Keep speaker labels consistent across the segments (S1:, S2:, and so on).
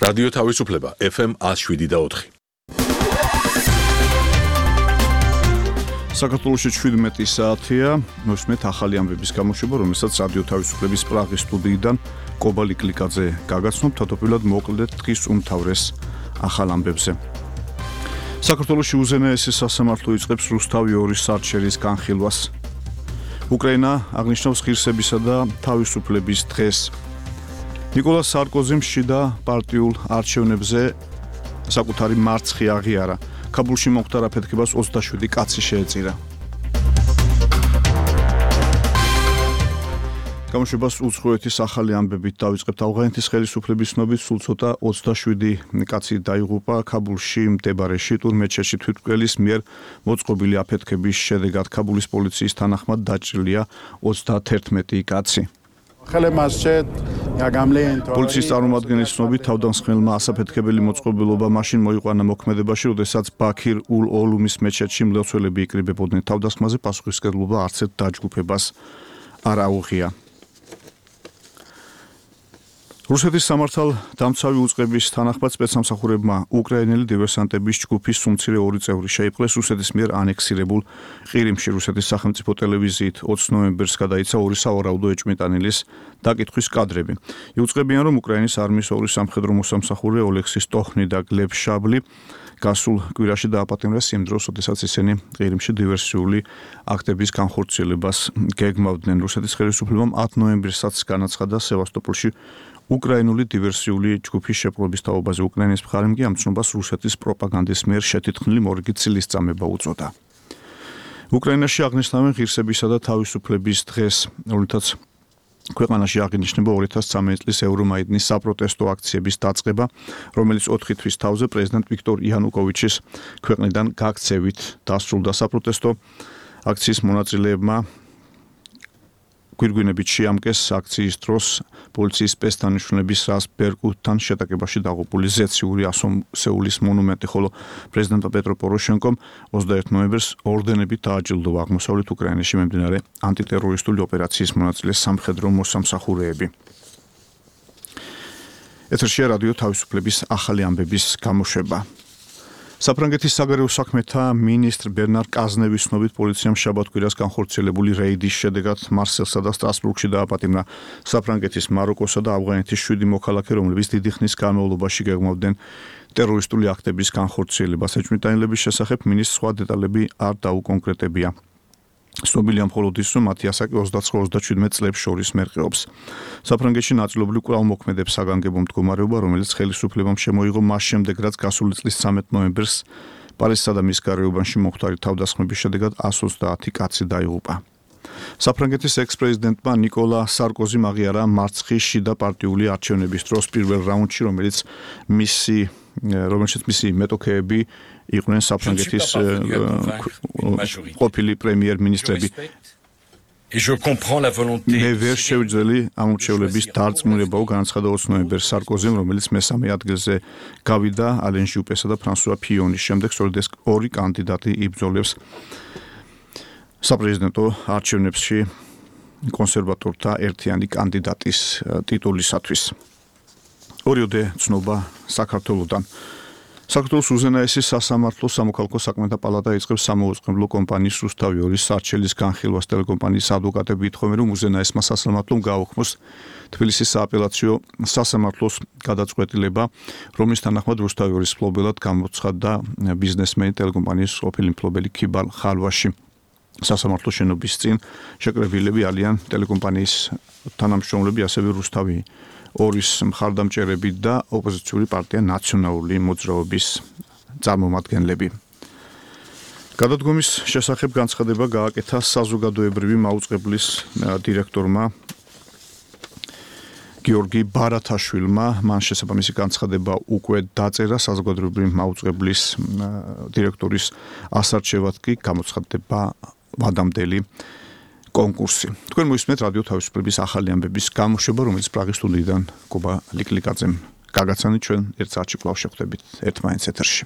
S1: რადიო თავისუფლება FM 107.4.
S2: საქართველოში 17 საათია, მოსმეთ ახალი ამბების გამოშვება, რომელსაც რადიო თავისუფლების პრაღის სტუდიიდან კობა ლიკლიკაძე გაგაცნობთ, თავდაპირველად მოკლდეთ დღის უმთავრეს ახალ ამბებზე. საქართველოში უზენაესი სასამართლო იწყებს რუსთავი 2 სარჩელის განხილვას. უკრაინა აღნიშნავს ღირსებისა და თავისუფლების დღეს. ნიკოლას სარკოზიმ შიდა პარტიულ არჩევნებზე საკუთარი მარცხი აღიარა. ქაბულში მომხდარ აფეთქებას 27 კაცი შეეწირა. გამოშვებას უცხოეთის ახალი ამბებით დავიწყებთ. ავღანეთის ხელისუფლების ცნობით სულ ცოტა 27 კაცი დაიღუპა ქაბულში მდებარე შიტურ მეჩეთში თვითმკვლელის მიერ მოწყობილი აფეთქების შედეგად. ქაბულის პოლიციის თანახმად დაჭრილია 31 კაცი. პოლიციის წარმომადგენლის ცნობით თავდამსხმელმა ასაფეთქებელი მოწყობილობა მაშინ მოიყვანა მოქმედებაში, როდესაც ბაქირ ულ-ოლუმის მეჩეთში მლოცველები იკრიბებოდნენ. თავდასხმაზე პასუხისმგებლობა არც ერთ დაჯგუფებას არ აუღია. რუსეთის სამართალდამცავი უწყების თანახმად სპეცსამსახურებმა უკრაინელი დივერსანტების ჯგუფის სუმცირე 2 წევრი შეიპყრეს რუსეთის მიერ ანექსირებულ ყირიმში. რუსეთის სახელმწიფო ტელევიზიით 20 ნოემბერს გადაიცა 2 სავარაუდო ეჭვმიტანილის დაკითხვის კადრები. იუწყებიან, რომ უკრაინის არმიის 2 სამხედრო მოსამსახურე ოლექსი სტოხნი და გლებ შაბლი გასულ კვირაში დააპატიმრეს იმ დროს, როდესაც ისინი ყირიმში დივერსიული აქტების განხორციელებას გეგმავდნენ. რუსეთის ხელისუფლებამ 10 ნოემბრისაც განაცხადა სევასტოპოლში უკრაინული დივერსიული ჯგუფის შეპყრობის თაობაზე. უკრაინის მხარემ კი ამ ცნობას რუსეთის პროპაგანდის მიერ შეთითქმული მორიგი წილისწამება უწოდა. უკრაინაში აღნიშნავენ ღირსებისა და თავისუფლების დღეს, რომლითაც ქვეყანაში აღინიშნება 2013 წლის ევრომაიდნის საპროტესტო აქციების დაწყება, რომელიც 4 თვის თავზე პრეზიდენტ ვიქტორ იანუკოვიჩის ქვეყნიდან გაქცევით დასრულდა. საპროტესტო აქციის მონაწილეებმა გვირგვინებით შეამკეს აქციის დროს პოლიციის სპეცდანიშნულების რას ბერკუტთან შეტაკებაში დაღუპული ზეციური ასომსეულის მონუმენტი, ხოლო პრეზიდენტ პეტრო პოროშენკომ 21 ნოემბერს ორდენებით დააჯილდოვა აღმოსავლეთ უკრაინაში მიმდინარე ანტიტერორისტული ოპერაციის მონაწილე სამხედრო მოსამსახურეები. ეთერშია რადიო თავისუფლების ახალი ამბების გამოშვება. საფრანგეთის საგარეო საქმეთა მინისტრ ბერნარ კაზნევის ცნობით პოლიციამ შაბათ-კვირას განხორციელებული რეიდის შედეგად მარსელსა და სტრასბურგში დააპატიმრა საფრანგეთის, მაროკოსა და ავღანეთის 7 მოქალაქე, რომლებიც დიდი ხნის განმავლობაში გეგმავდნენ ტერორისტული აქტების განხორციელებას. ეჭვმიტანილების შესახებ მინისტრს სხვა დეტალები არ დაუკონკრეტებია. ცნობილია მხოლოდ ის, რომ მათი ასაკი 29-37 წლებს შორის მერყეობს. საფრანგეთში ნაწილობრივ კვლავ მოქმედებს საგანგებო მდგომარეობა, რომელიც ხელისუფლებამ შემოიღო მას შემდეგ, რაც გასული წლის 13 ნოემბერს პარიზსა და მის გარეუბანში მომხდარი თავდასხმების შედეგად 130 კაცი დაიღუპა. საფრანგეთის ექს-პრეზიდენტმა ნიკოლა სარკოზიმ აღიარა მარცხი შიდა პარტიული არჩევნების დროს პირველ რაუნდში, რომელშიც მისი მეტოქეები იყვნენ საფრანგეთის ყოფილი პრემიერ-მინისტრები. მე ვერ შევძელი ამ მრჩევლების დარწმუნებაო, განაცხადა 20 ნოემბერს სარკოზიმ, რომელიც მესამე ადგილზე გავიდა ალენ ჟუპესა და ფრანსუა ფიონის შემდეგ. სწორედ ეს 2 კანდიდატი იბრძოლებს საპრეზიდენტო არჩევნებში კონსერვატორთა ერთიანი კანდიდატის ტიტულისათვის. ორიოდე ცნობა საქართველოდან. საქართველოს უზენაესი სასამართლო სამოქალაქო საქმეთა პალატა იწყებს სამოუწყებლო კომპანიის რუსთავი 2 სარჩელის განხილვას. ტელეკომპანიის ადვოკატები ითხოვენ, რომ უზენაესმა სასამართლომ გააუქმოს თბილისის სააპელაციო სასამართლოს გადაწყვეტილება, რომლის თანახმად რუსთავი 2-ის მფლობელად გამოცხადდა ბიზნესმენი ტელეკომპანიის ყოფილი მფლობელი ქიბალ ხალვაში. სასამართლოს შენობის წინ შეკრებილები არიან ტელეკომპანიის თანამშრომლები, ასევე რუსთავი 2-ის მხარდამჭერები და ოპოზიციური პარტია ნაციონალური მოძრაობის წარმომადგენლები. გადადგომის შესახებ განცხადება გააკეთა საზოგადოებრივი მაუწყებლის დირექტორმა გიორგი ბარათაშვილმა. მან შესაბამისი განცხადება უკვე დაწერა. საზოგადოებრივი მაუწყებლის დირექტორის ასარჩევად კი გამოცხადდება ვადამდელი კონკურსი. თქვენ მოისმენთ რადიო თავისუფლების ახალი ამბების გამოშვება, რომელიც პრაღის სტუდიიდან კობა ლიკლიკაძემ გაგაცანით. ჩვენ ერთ საათში კვლავ შევხვდებით ერთმანეთს ეთერში.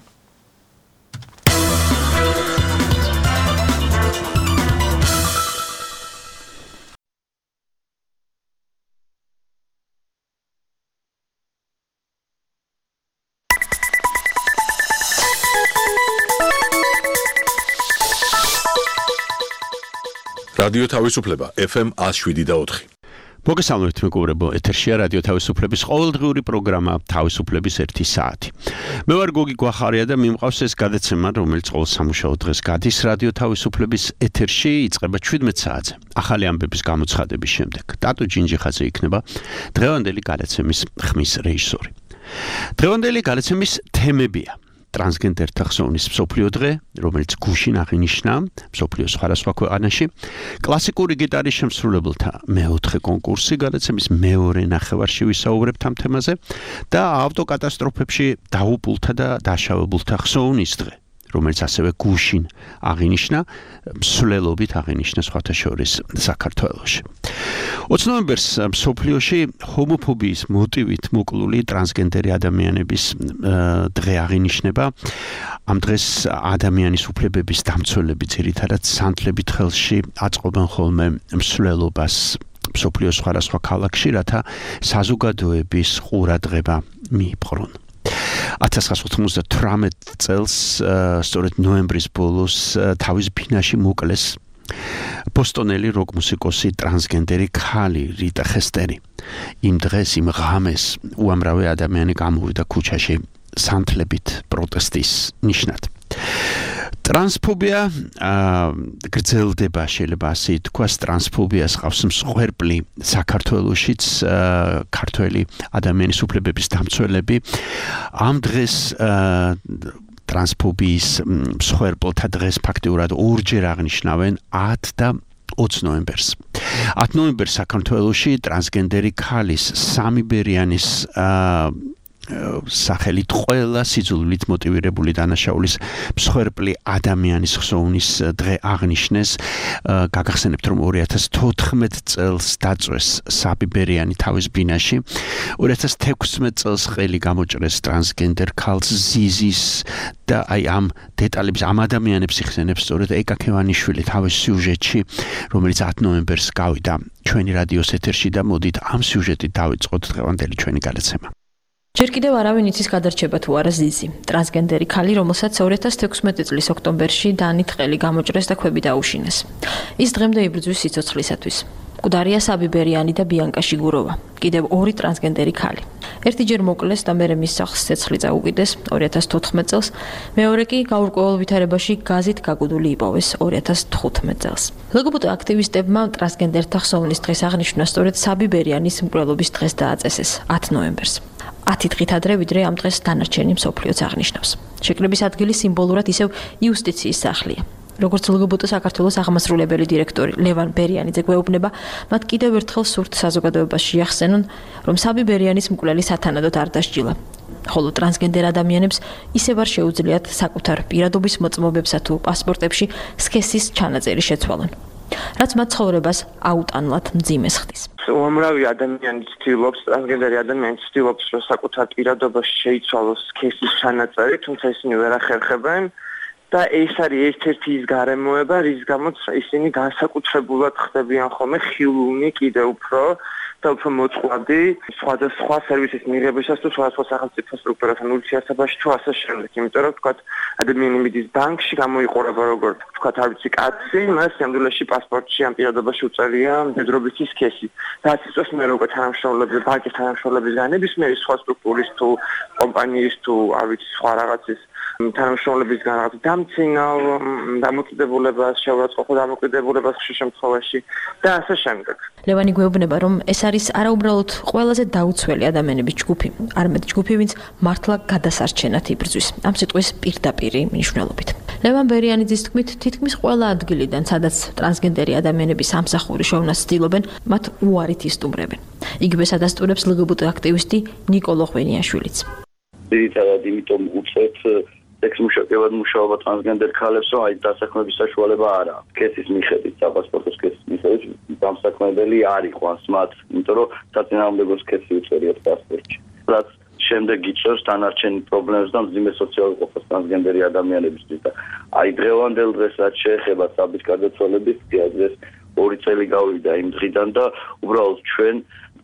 S1: რადიო თავისუფლება FM 107.4.
S3: მოგესალმებით მეგობრებო, ეთერშია რადიო თავისუფლების ყოველდღიური პროგრამა თავისუფლების 1 საათი. მე ვარ გოგი გვახარია და მიმყავს ეს გადაცემა, რომელიც ყოველ სამუშაო დღეს გადის რადიო თავისუფლების ეთერში, იწყება 17 საათზე. ახალი ამბების გამოცხადების შემდეგ. ტატო ჯინჯიხაძე იქნება დღევანდელი გადაცემის ხმის რეჟისორი. დღევანდელი გადაცემის თემებია: ტრანსგენდერთა ხსოვნის მსოფლიო დღე, რომელიც გუშინ აღინიშნა მსოფლიოს სხვადასხვა ქვეყანაში, კლასიკური გიტარის შემსრულებელთა მეოთხე კონკურსი, გადაცემის მეორე ნახევარში ვისაუბრებთ ამ თემაზე და ავტოკატასტროფებში დაუპულთა და დაშავებულთა ხსოვნის დღე, რომელიც ასევე გუშინ აღინიშნა, მსვლელობით აღინიშნა სხვათა შორის საქართველოში. 20 ნოემბერს მსოფლიოში ჰომოფობიის მოტივით მოკლული ტრანსგენდერი ადამიანების დღე აღინიშნება. ამ დღეს ადამიანის უფლებების დამცველები ძირითადად სანთლებით ხელში აწყობენ ხოლმე მსვლელობას მსოფლიოს სხვადასხვა ქალაქში, რათა საზოგადოების ყურადღება მიიპყრონ. 1998 წელს, სწორედ ნოემბრის ბოლოს, თავის ფინაში მოკლეს ბოსტონელი როკ მუსიკოსი ტრანსგენდერი ქალი რიტა ხესტერი. იმ დღეს, იმ ღამეს უამრავი ადამიანი გამოვიდა ქუჩაში სანთლებით პროტესტის ნიშნად. ტრანსფობია გრძელდება, შეიძლება ასე ითქვას, ტრანსფობიას ყავს მსხვერპლი საქართველოშიც, ქართველი ადამიანის უფლებების დამცველები. ამ დღეს ტრანსფობიის მსხვერპლთა დღეს ფაქტიურად ორჯერ აღნიშნავენ 10 და 20 ნოემბერს. 10 ნოემბერს საქართველოში ტრანსგენდერი ქალის სამიბერიანის სახელით ყველა სიძულვილით მოტივირებული დანაშაულის მსხვერპლი ადამიანის ხსოვნის დღე აღნიშნეს. გაგახსენებთ, რომ 2014 წელს დაწვეს საბიბერიანი თავის ბინაში. 2016 წელს ხელი გამოჭრეს ტრანსგენდერ ქალს ზიზის და ამ დეტალებს, ამ ადამიანებს იხსენებს სწორედ ეკა ქევანიშვილი თავის სიუჟეტში, რომელიც 10 ნოემბერს გავიდა ჩვენი რადიოს ეთერში და მოდით ამ სიუჟეტით დავიწყოთ დღევანდელი ჩვენი გადაცემა.
S4: ჯერ კიდევ არავინ იცის გადარჩება თუ არა ზიზი, ტრანსგენდერი ქალი, რომელსაც 2016 წლის ოქტომბერში დანით ხელი გამოჭრეს და ქვები დაუშინეს. ის დღემდე იბრძვის სიცოცხლისათვის. მკვდარია საბიბერიანი და ბიანკა შიგუროვა, კიდევ ორი ტრანსგენდერი ქალი. ერთიჯერ მოკლეს და მერე მის სახლს ცეცხლი წაუკიდეს 2014 წელს, მეორე კი გაურკვეველ ვითარებაში გაზით გაგუდული იპოვეს 2015 წელს. ლგბტ აქტივისტებმა ტრანსგენდერთა ხსოვნის დღეს აღნიშნა სწორედ საბიბერიანის მკვლელობის დღეს დააწესეს 10 ნოემბერს. 10 დღით ადრე, ვიდრე ამ დღეს დანარჩენი მსოფლიოც აღნიშნავს. შეკრების ადგილი სიმბოლურად ისევ იუსტიციის სახლია. როგორც ლგბტ საქართველოს აღმასრულებელი დირექტორი ლევან ბერიანიძე გვეუბნება, მათ კიდევ ერთხელ სურთ საზოგადოებას შეახსენონ, რომ საბიბერიანის მკვლელი სათანადოდ არ დასჯილა. ხოლო ტრანსგენდერ ადამიანებს ისევ არ შეუძლიათ საკუთარ პირადობის მოწმობებსა თუ პასპორტებში სქესის ჩანაწერი შეცვალონ, რაც მათ ცხოვრებას აუტანლად მძიმეს ხდის.
S5: უამრავი ადამიანი ცდილობს, ტრანსგენდერი ადამიანი ცდილობს, რომ საკუთარ პირადობაში შეიცვალოს სქესის ჩანაწერი, თუმცა ისინი ვერ ახერხებენ და ეს არის ერთ-ერთი ის გარემოება, რის გამოც ისინი განსაკუთრებულად ხდებიან ხოლმე ხილულნი კიდევ უფრო და უფრო მოწყვლადი სხვა სერვისის მიღებისას თუ სხვა სახელმწიფო სტრუქტურასთან ურთიერთობაში თუ ასე შემდეგ. იმიტომ რომ თქვათ ადამიანი მიდის ბანკში, გამოიყურება როგორც თქვათ არ ვიცი კაცი, მას სამდვილეში პასპორტში ამ პირადობაში უწერია მდედრობითი სქესი. რაც იწვევს მე როგორც თანამშრომლების, ბანკის თანამშრომლების განებისმიერი სხვა სტრუქტურის თუ კომპანიის თუ არ ვიცი სხვა რაღაცის თანამშრომლების რაღაც დამცინავ დამოკიდებულებას, შეურაცხყოფა დამოკიდებულებას ხშირ შემთხვევაში და ასე შემდეგ.
S4: ლევანი გვეუბნება, რომ ეს არის არაუბრალოდ ყველაზე დაუცველი ადამიანების ჯგუფი, არამედ ჯგუფი, ვინც მართლა გადასარჩენად იბრძვის. ამ სიტყვის პირდაპირი მნიშვნელობით. ლევან ბერიანიძის თქმით, თითქმის ყველა ადგილიდან, სადაც ტრანსგენდერი ადამიანების სამსახური შევნას ცდილობენ, მათ უარით ისტუმრებენ. იგივე ადასტურებს ლგბტ აქტივისტი ნიკოლო ღვენიაშვილიც.
S6: ძირითადად იმიტომ უწევთ სექსმუშაკებად მუშაობა ტრანსგენდერ ქალებს, რომ აი დასაქმების საშუალება არ აქვს. სქესის მიხედვით, საპასპორტო სქესის მიხედვით დამსაქმებელი არ იყო ან სმათ, იმიტომ რომ საწინააღმდეგო სქესი უწერიათ პასპორტში. რაც შემდეგ იწვევს დანარჩენ პრობლემებს და მძიმე სოციალურ ყოფას ტრანსგენდერი ადამიანებისთვის და აი დღევანდელ დღეს რაც შეეხება საბის გარდაცვალების დღეს 2 წელი გავიდა იმ დღიდან და უბრალოდ ჩვენ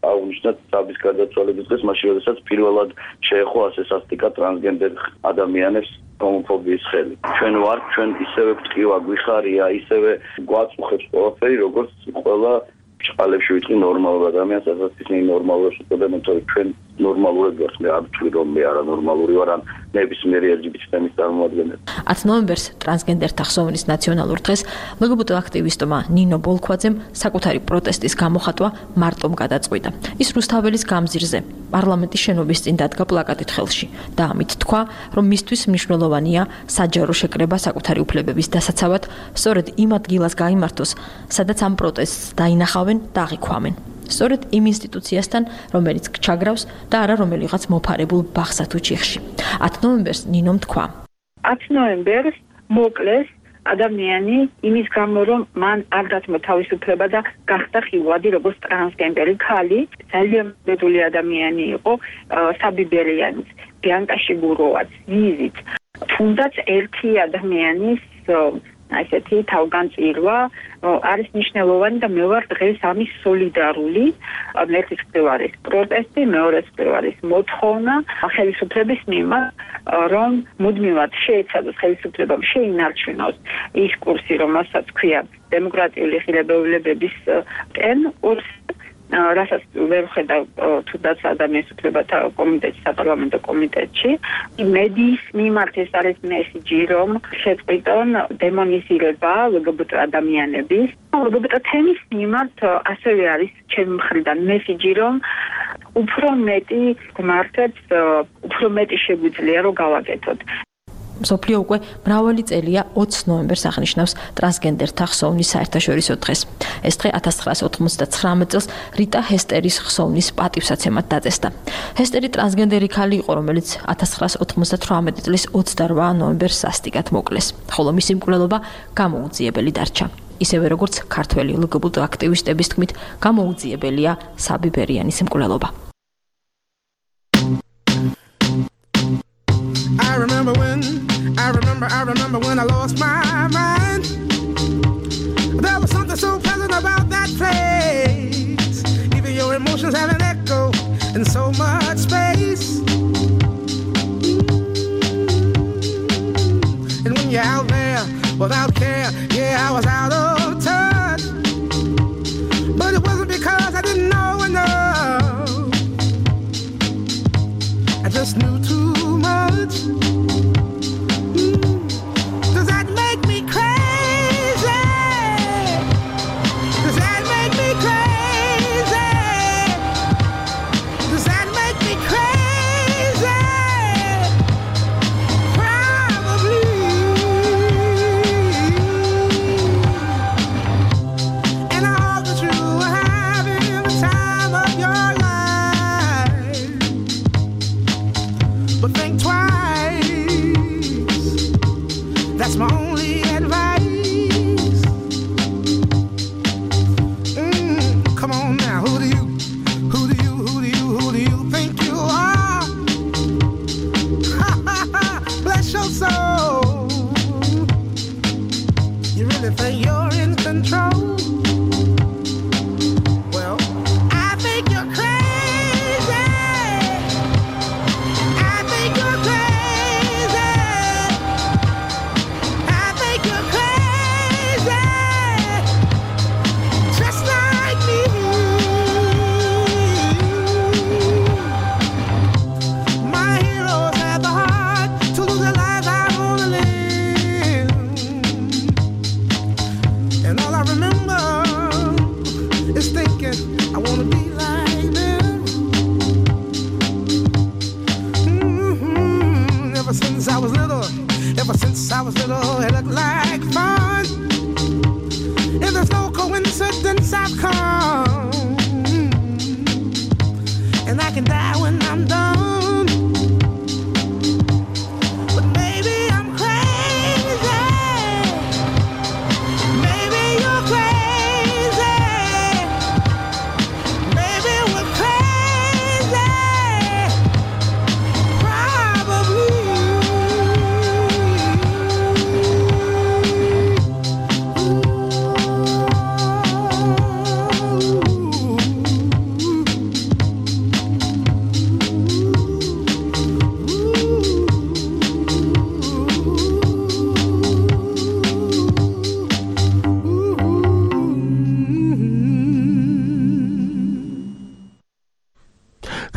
S6: აღნიშნეთ საბის გარდაცვალების დღეს, მაშინ როდესაც პირველად შეეხო ასე სასტიკად ტრანსგენდერ ადამიანებს ჰომოფობიის ხელი. ჩვენ ვარ, ჩვენ ისევე გვტკივა, გვიხარია, ისევე გვაწუხებს ყველაფერი, როგორც ყველა ჭყალებში ვიტყვი ნორმალურ ადამიანს, ასაც ისინი ნორმალურს უწოდებენ, თორე ჩვენ ნორმალურად ვართ, მე არ ვთვლი რომ მე არანორმალური ვარ, ან ნებისმიერი LGBT თემის წარმომადგენელი.
S4: 10 ნოემბერს ტრანსგენდერთა ხსოვნის ნაციონალურ დღეს LGBT აქტივისტმა ნინო ბოლქვაძემ საკუთარი პროტესტის გამოხატვა მარტომ გადაწყვიტა. ის რუსთაველის გამზირზე პარლამენტის შენობის წინ დადგა პლაკატით ხელში და ამით თქვა, რომ მისთვის მნიშვნელოვანია საჯარო შეკრება საკუთარი უფლებების დასაცავად, სწორედ იმ ადგილას გაიმართოს, სადაც ამ პროტესტს დაინახავენ და აღიქვამენ. სწორედ იმ ინსტიტუციასთან, რომელიც ჩაგრავს და არა რომელიღაც მოფარებულ ბაღსა თუ ჩიხში. 10 ნოემბერს ნინომ თქვა:
S7: 10 ნოემბერს მოკლეს ადამიანი იმის გამო, რომ მან არ დათმო თავისუფლება და გახდა ხილვადი როგორც ტრანსგენდერი ქალი, ძალიან ბედული ადამიანი იყო, საბიბერიანიც, ბიანკა შიგუროვაც, ვიზით. თუნდაც ერთი ადამიანის ასეთი თავგანწირვა არის მნიშვნელოვანი და მე ვარ დღეს ამის სოლიდარული. ერთის მხრივ არის პროტესტი, მეორეს მხრივ არის მოთხოვნა ხელისუფლების მიმართ, რომ მუდმივად შეეცადოს ხელისუფლებამ შეინარჩუნოს ის კურსი, რომელსაც ქვია დემოკრატიული ღირებულებების კურსი, რასაც ვერ ხედა თუნდაც ადამიანის უფლებათა კომიტეტში, საპარლამენტო კომიტეტში. მედიის მიმართ ეს არის მესიჯი, რომ შეწყვიტონ დემონიზირება LGBT ადამიანების. LGBT თემის მიმართ ასევე არის ჩემი მხრიდან მესიჯი, რომ უფრო მეტი გმართებს, უფრო მეტი შეგვიძლია რომ გავაკეთოთ.
S4: მსოფლიო უკვე მრავალი წელია 20 ნოემბერს აღნიშნავს ტრანსგენდერთა ხსოვნის საერთაშორისო დღეს. ეს დღე 1999 წელს რიტა ჰესტერის ხსოვნის პატივსაცემად დაწესდა. ჰესტერი ტრანსგენდერი ქალი იყო, რომელიც 1998 წლის 28 ნოემბერს სასტიკად მოკლეს, ხოლო მისი მკვლელობა გამოუძიებელი დარჩა. ისევე როგორც ქართველი LGBT აქტივისტების თქმით, გამოუძიებელია საბიბერიანის მკვლელობა.
S8: I remember when I lost my mind. There was something so pleasant about that place. Even your emotions have an echo in so much space. And when you're out there without care, yeah, I was out of touch. But it wasn't because I didn't know enough. I just knew too much.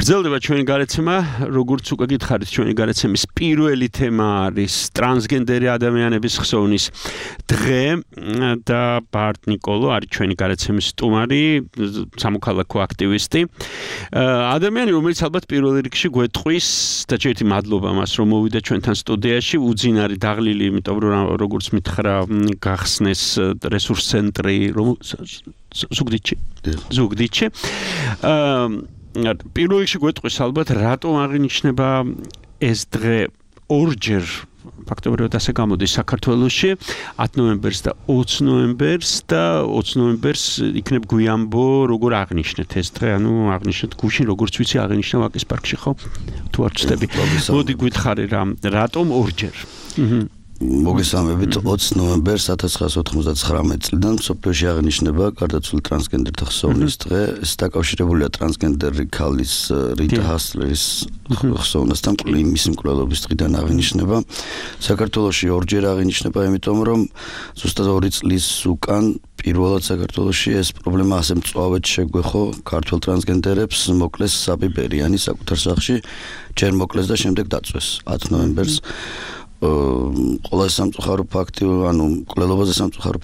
S3: გრძელდება ჩვენი გარეთცემა, როგორც უკვე გითხარით, ჩვენი გარეთცემის პირველი თემა არის ტრანსგენდერი ადამიანების ხსოვნის დღე და ბარტ ნიკოლო არის ჩვენი გარეთცემის სტუმარი, სამოქალაქო აქტივისტი. ადამიანი, რომელიც ალბათ პირველ რიგში გვეტყვის და ჯერჯერობით მადლობა მას, რომ მოვიდა ჩვენთან სტუდიაში, უძინარი დაღლილი, იმიტომ რომ როგორც მითხრა, გახსნეს რესურს ცენტრი, რომ ზუგდიდში. პირველ რიგში გვეტყვის ალბათ, რატომ აღინიშნება ეს დღე ორჯერ ფაქტობრივად ასე გამოდის საქართველოში 10 ნოემბერს და 20 ნოემბერს და 20 ნოემბერს იქნებ გვიამბო როგორ აღნიშნეთ ეს დღე, ანუ აღნიშნეთ გუშინ როგორც ვიცი აღინიშნა ვაკის პარკში ხო? თუ არ ვცდები. მოდი გითხარი რატომ ორჯერ?
S9: მოგესალმებით 20 ნოემბერს 1999 წლიდან მსოფლიოში აღნიშნება გარდაცვლილ ტრანსგენდერთა ხსოვნის დღე. ეს დაკავშირებულია ტრანსგენდერი ქალის რიტა ჰასლერის ხსოვნასთან, მისი მკვლელობის დღიდან აღინიშნება. საქართველოში ორჯერ აღინიშნება, იმიტომ რომ ზუსტად 2 წლის უკან პირველად საქართველოში ეს პრობლემა ასე მწვავედ შეგვეხო ქართველ ტრანსგენდერებს, მოკლეს საბი ბერიანი საკუთარ სახლში, ჯერ მოკლეს და შემდეგ დაწვეს 10 ნოემბერს. ყველა სამწუხარო ფაქტი, ანუ მკვლელობაზე სამწუხარო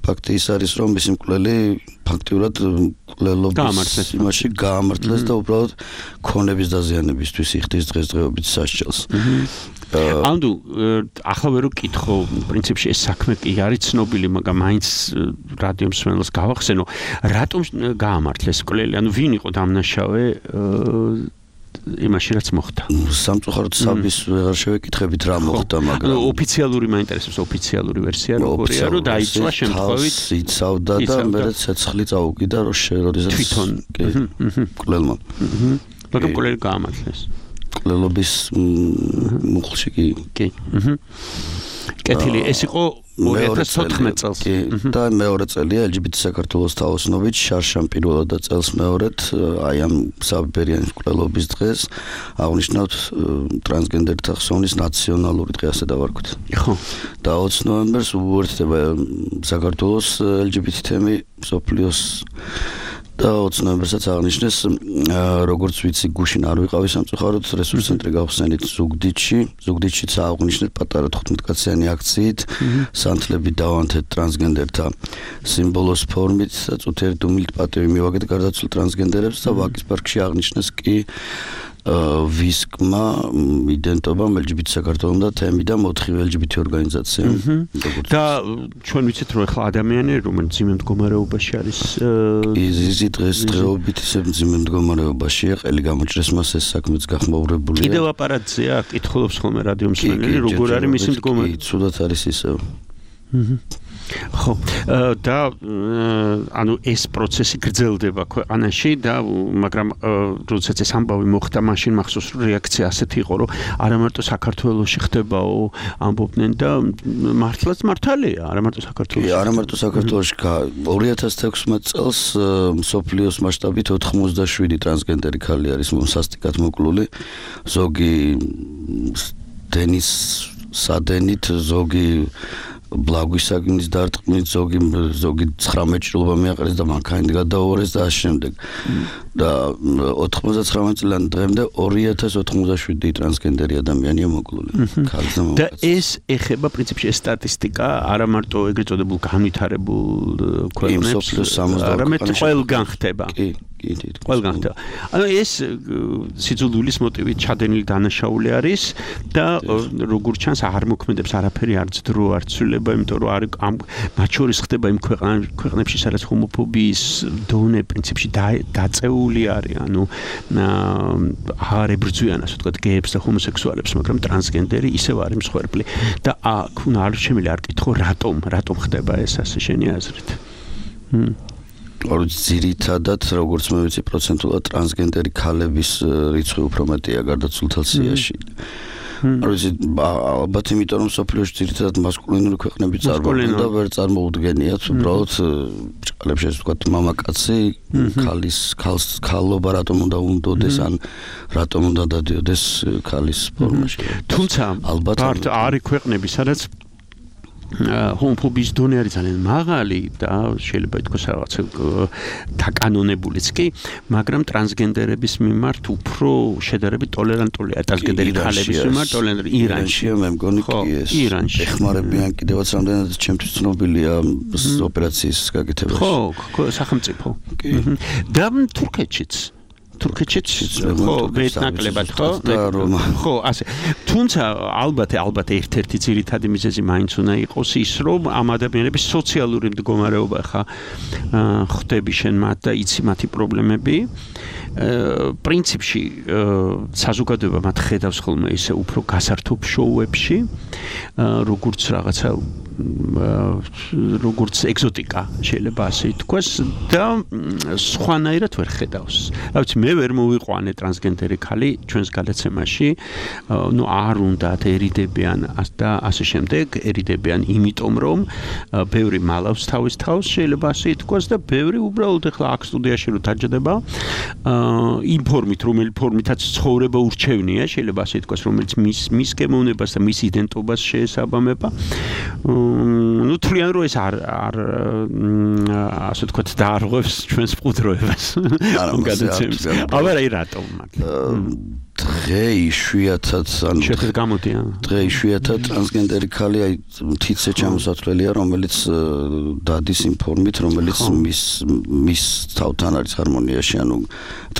S9: ფაქტი ის არის, რომ მისი მკვლელი ფაქტიურად მკვლელობის იმაში გაამართლეს და უბრალოდ ქონების დაზიანებისთვის იხდის დღესდღეობით სასჯელს.
S3: ანუ ახლა ვერ ვკითხო, პრინციპში ეს საქმე კი არის ცნობილი, მაგრამ მაინც რადიო მსმენელს გავახსენო, რატომ გაამართლეს მკვლელი, ანუ ვინ იყო დამნაშავე იმაში რაც მოხდა.
S9: სამწუხაროდ საბის ვეღარ შევეკითხებით რა მოხდა, მაგრამ
S3: ოფიციალური მაინტერესებს ოფიციალური ვერსია როგორია, რომ დაიწვა შემთხვევით
S9: იცავდა და მერე ცეცხლი წაუგიდა, როდესაც
S3: თვითონ
S9: მკვლელმა.
S3: მაგრამ მკვლელი გაამართლეს.
S9: მკვლელობის მუხლში კი.
S3: კეთილი, ეს იყო 2014 წელს.
S9: და მეორე წელია LGBT საქართველოს თაოსნობით შარშან პირველად და წელს მეორედ აი ამ საბერიანის მკვლელობის დღეს აღნიშნავთ ტრანსგენდერთა ხსოვნის ნაციონალური დღე, ასე დავარქვით.
S3: ხო.
S9: და 20 ნოემბერს უერთდება საქართველოს LGBT თემი მსოფლიოს და 20 ნოემბერსაც აღნიშნეს, როგორც ვიცი, გუშინ არ ვიყავი სამწუხაროდ, რესურს ცენტრი გავხსენით ზუგდიდშიც აღნიშნეთ პატარა 15-კაციანი აქციით, სანთლები დავანთეთ ტრანსგენდერთა სიმბოლოს ფორმით და წუთიერი დუმილით პატივი მივაგეთ გარდაცვლილ ტრანსგენდერებს და ვაკის პარკში აღნიშნეს კი ვისკმა, იდენტობამ LGBT საქართველოს და თემი და მოთხივ LGBT ორგანიზაციამ.
S3: და ჩვენ ვიცით, რომ ახლა ადამიანები, რომელიც ძიმე მდგომარეობაში არის,
S9: იზი დღესდღეობით ისე ძიმე მდგომარეობაშია, ყელი გამოჭრეს მას ეს საქმეც გახმაურებულია.
S3: კიდევ აპარატზეა, კითხულობს ხოლმე რადიო მსმენელი, როგორ არის მისი მდგომარეობა?
S9: კი, ცუდად არის ისევ.
S3: ხო, და ანუ ეს პროცესი გრძელდება ქვეყანაში და მაგრამ როდესაც ეს ამბავი მოხდა, მაშინ მახსოვს რომ რეაქცია ასეთი იყო, რომ არა მარტო საქართველოში ხდებაო, ამბობდნენ და მართალია, არა მარტო საქართველოში.
S9: არა მარტო საქართველოში 2016 წელს მსოფლიოს მასშტაბით 87 ტრანსგენდერი ქალი არის სასტიკად მოკლული, ზოგი დენის სადენით, ზოგი ბლაგვისაგნის დარტყმით, ზოგი 19 ჭრილობა მიაყენეს და მანქანით გადაუარეს და ამ შემდეგ. და 99 წლიდან დღემდე 2097 ტრანსგენდერი ადამიანია მოკლული.
S3: და ეს ეხება პრინციპში ეს სტატისტიკა არა მარტო ეგრეთ წოდებულ განვითარებულ ქვეყნებს, არამედ ყველგან ხდება. ყველგან ხდება. ანუ ეს სიძულვილის მოტივით ჩადენილი დანაშაული არის და როგორც ჩანს არ მოქმედებს არაფერი, არც დრო, არც ცვლილება, იმიტომ რომ მათ შორის ხდება იმ ქვეყნებში, სადაც ჰომოფობიის დონე პრინციპში დაწეული არის, ანუ არ ებრძვიან, ასე ვთქვათ, გეებს და ჰომოსექსუალებს, მაგრამ ტრანსგენდერი ისევ არის მსხვერპლი და აქ უნდა არ შემიძლია არ კითხო, რატომ ხდება ეს ასე შენი აზრით?
S9: ძირითადად, როგორც მე ვიცი, პროცენტულად ტრანსგენდერი ქალების რიცხვი უფრო მეტია გარდაცვლილთა სიაში. ალბათ იმიტომ რომ სოფლიოში ძირითადად მასკულინური ქვეყნები წარმოადგენენ და ვერ წარმოუდგენიათ, უბრალოდ ჭყალებში ასე ვთქვათ, მამაკაცი ქალობა რატომ უნდა უნდოდეს, ან რატომ უნდა დადიოდეს ქალის ფორმაში.
S3: თუმცა ალბათ არის ქვეყნები, სადაც ჰომოფობის დონე არის ძალიან მაღალი და შეიძლება ითქვას რაღაც დაკანონებულიც კი, მაგრამ ტრანსგენდერების მიმართ უფრო შედარებით ტოლერანტულია ტრანსგენდერი ქალების მიმართ ტოლერანტული ირანში
S9: მე მგონი კი ეს ეხმარებიან კიდევაც რამდენად ჩემთვის ცნობილია ოპერაციის გაკეთებაში
S3: ხო სახელმწიფო და თურქეთშიც ხო ვეტნაკლებად ხო ასე თუმცა ალბათ ერთ-ერთი ძირითადი მიზეზი მაინც უნდა იყოს ის რომ ამ ადამიანების სოციალური მდგომარეობა ხა ხვდები შენ მათ და იცი მათი პრობლემები პრინციპში საზოგადოება მათ ხედავს ხოლმე ისე უფრო გასართობ შოუებში როგორც რაღაცა როგორც ეგზოტიკა შეიძლება ასე ითქვას და სხვანაირად ვერ ხედავს. რა ვიცი მე ვერ მოვიყვანე ტრანსგენდერი ქალი ჩვენს გადაცემაში, არ უნდათ ერიდებიან და ასე შემდეგ, eriდებიან იმიტომ რომ ბევრი მალავს თავის თავს შეიძლება ასე ითქვას და ბევრი უბრალოდ ახლა აქ სტუდიაში რო დაჯდება იმ ფორმით რომელი ფორმითაც ცხოვრება ურჩევნია შეიძლება ასე ითქვას რომელიც მის გემოვნებას და მის იდენტობას შეესაბამება ну თვლიან რომ ეს არ ასე თქვა დაარღვევს ჩვენს მყუდროებას გადაცემს აბა რა რატომ დღე იშვიათად ანუ შეხედ გამოდიან დღე იშვიათად ტრანსგენდერი ქალი აი თითზე ჩამოსათვლელია რომელიც დადის იმ ფორმით რომელიც მის თავთან არის ჰარმონიაში ანუ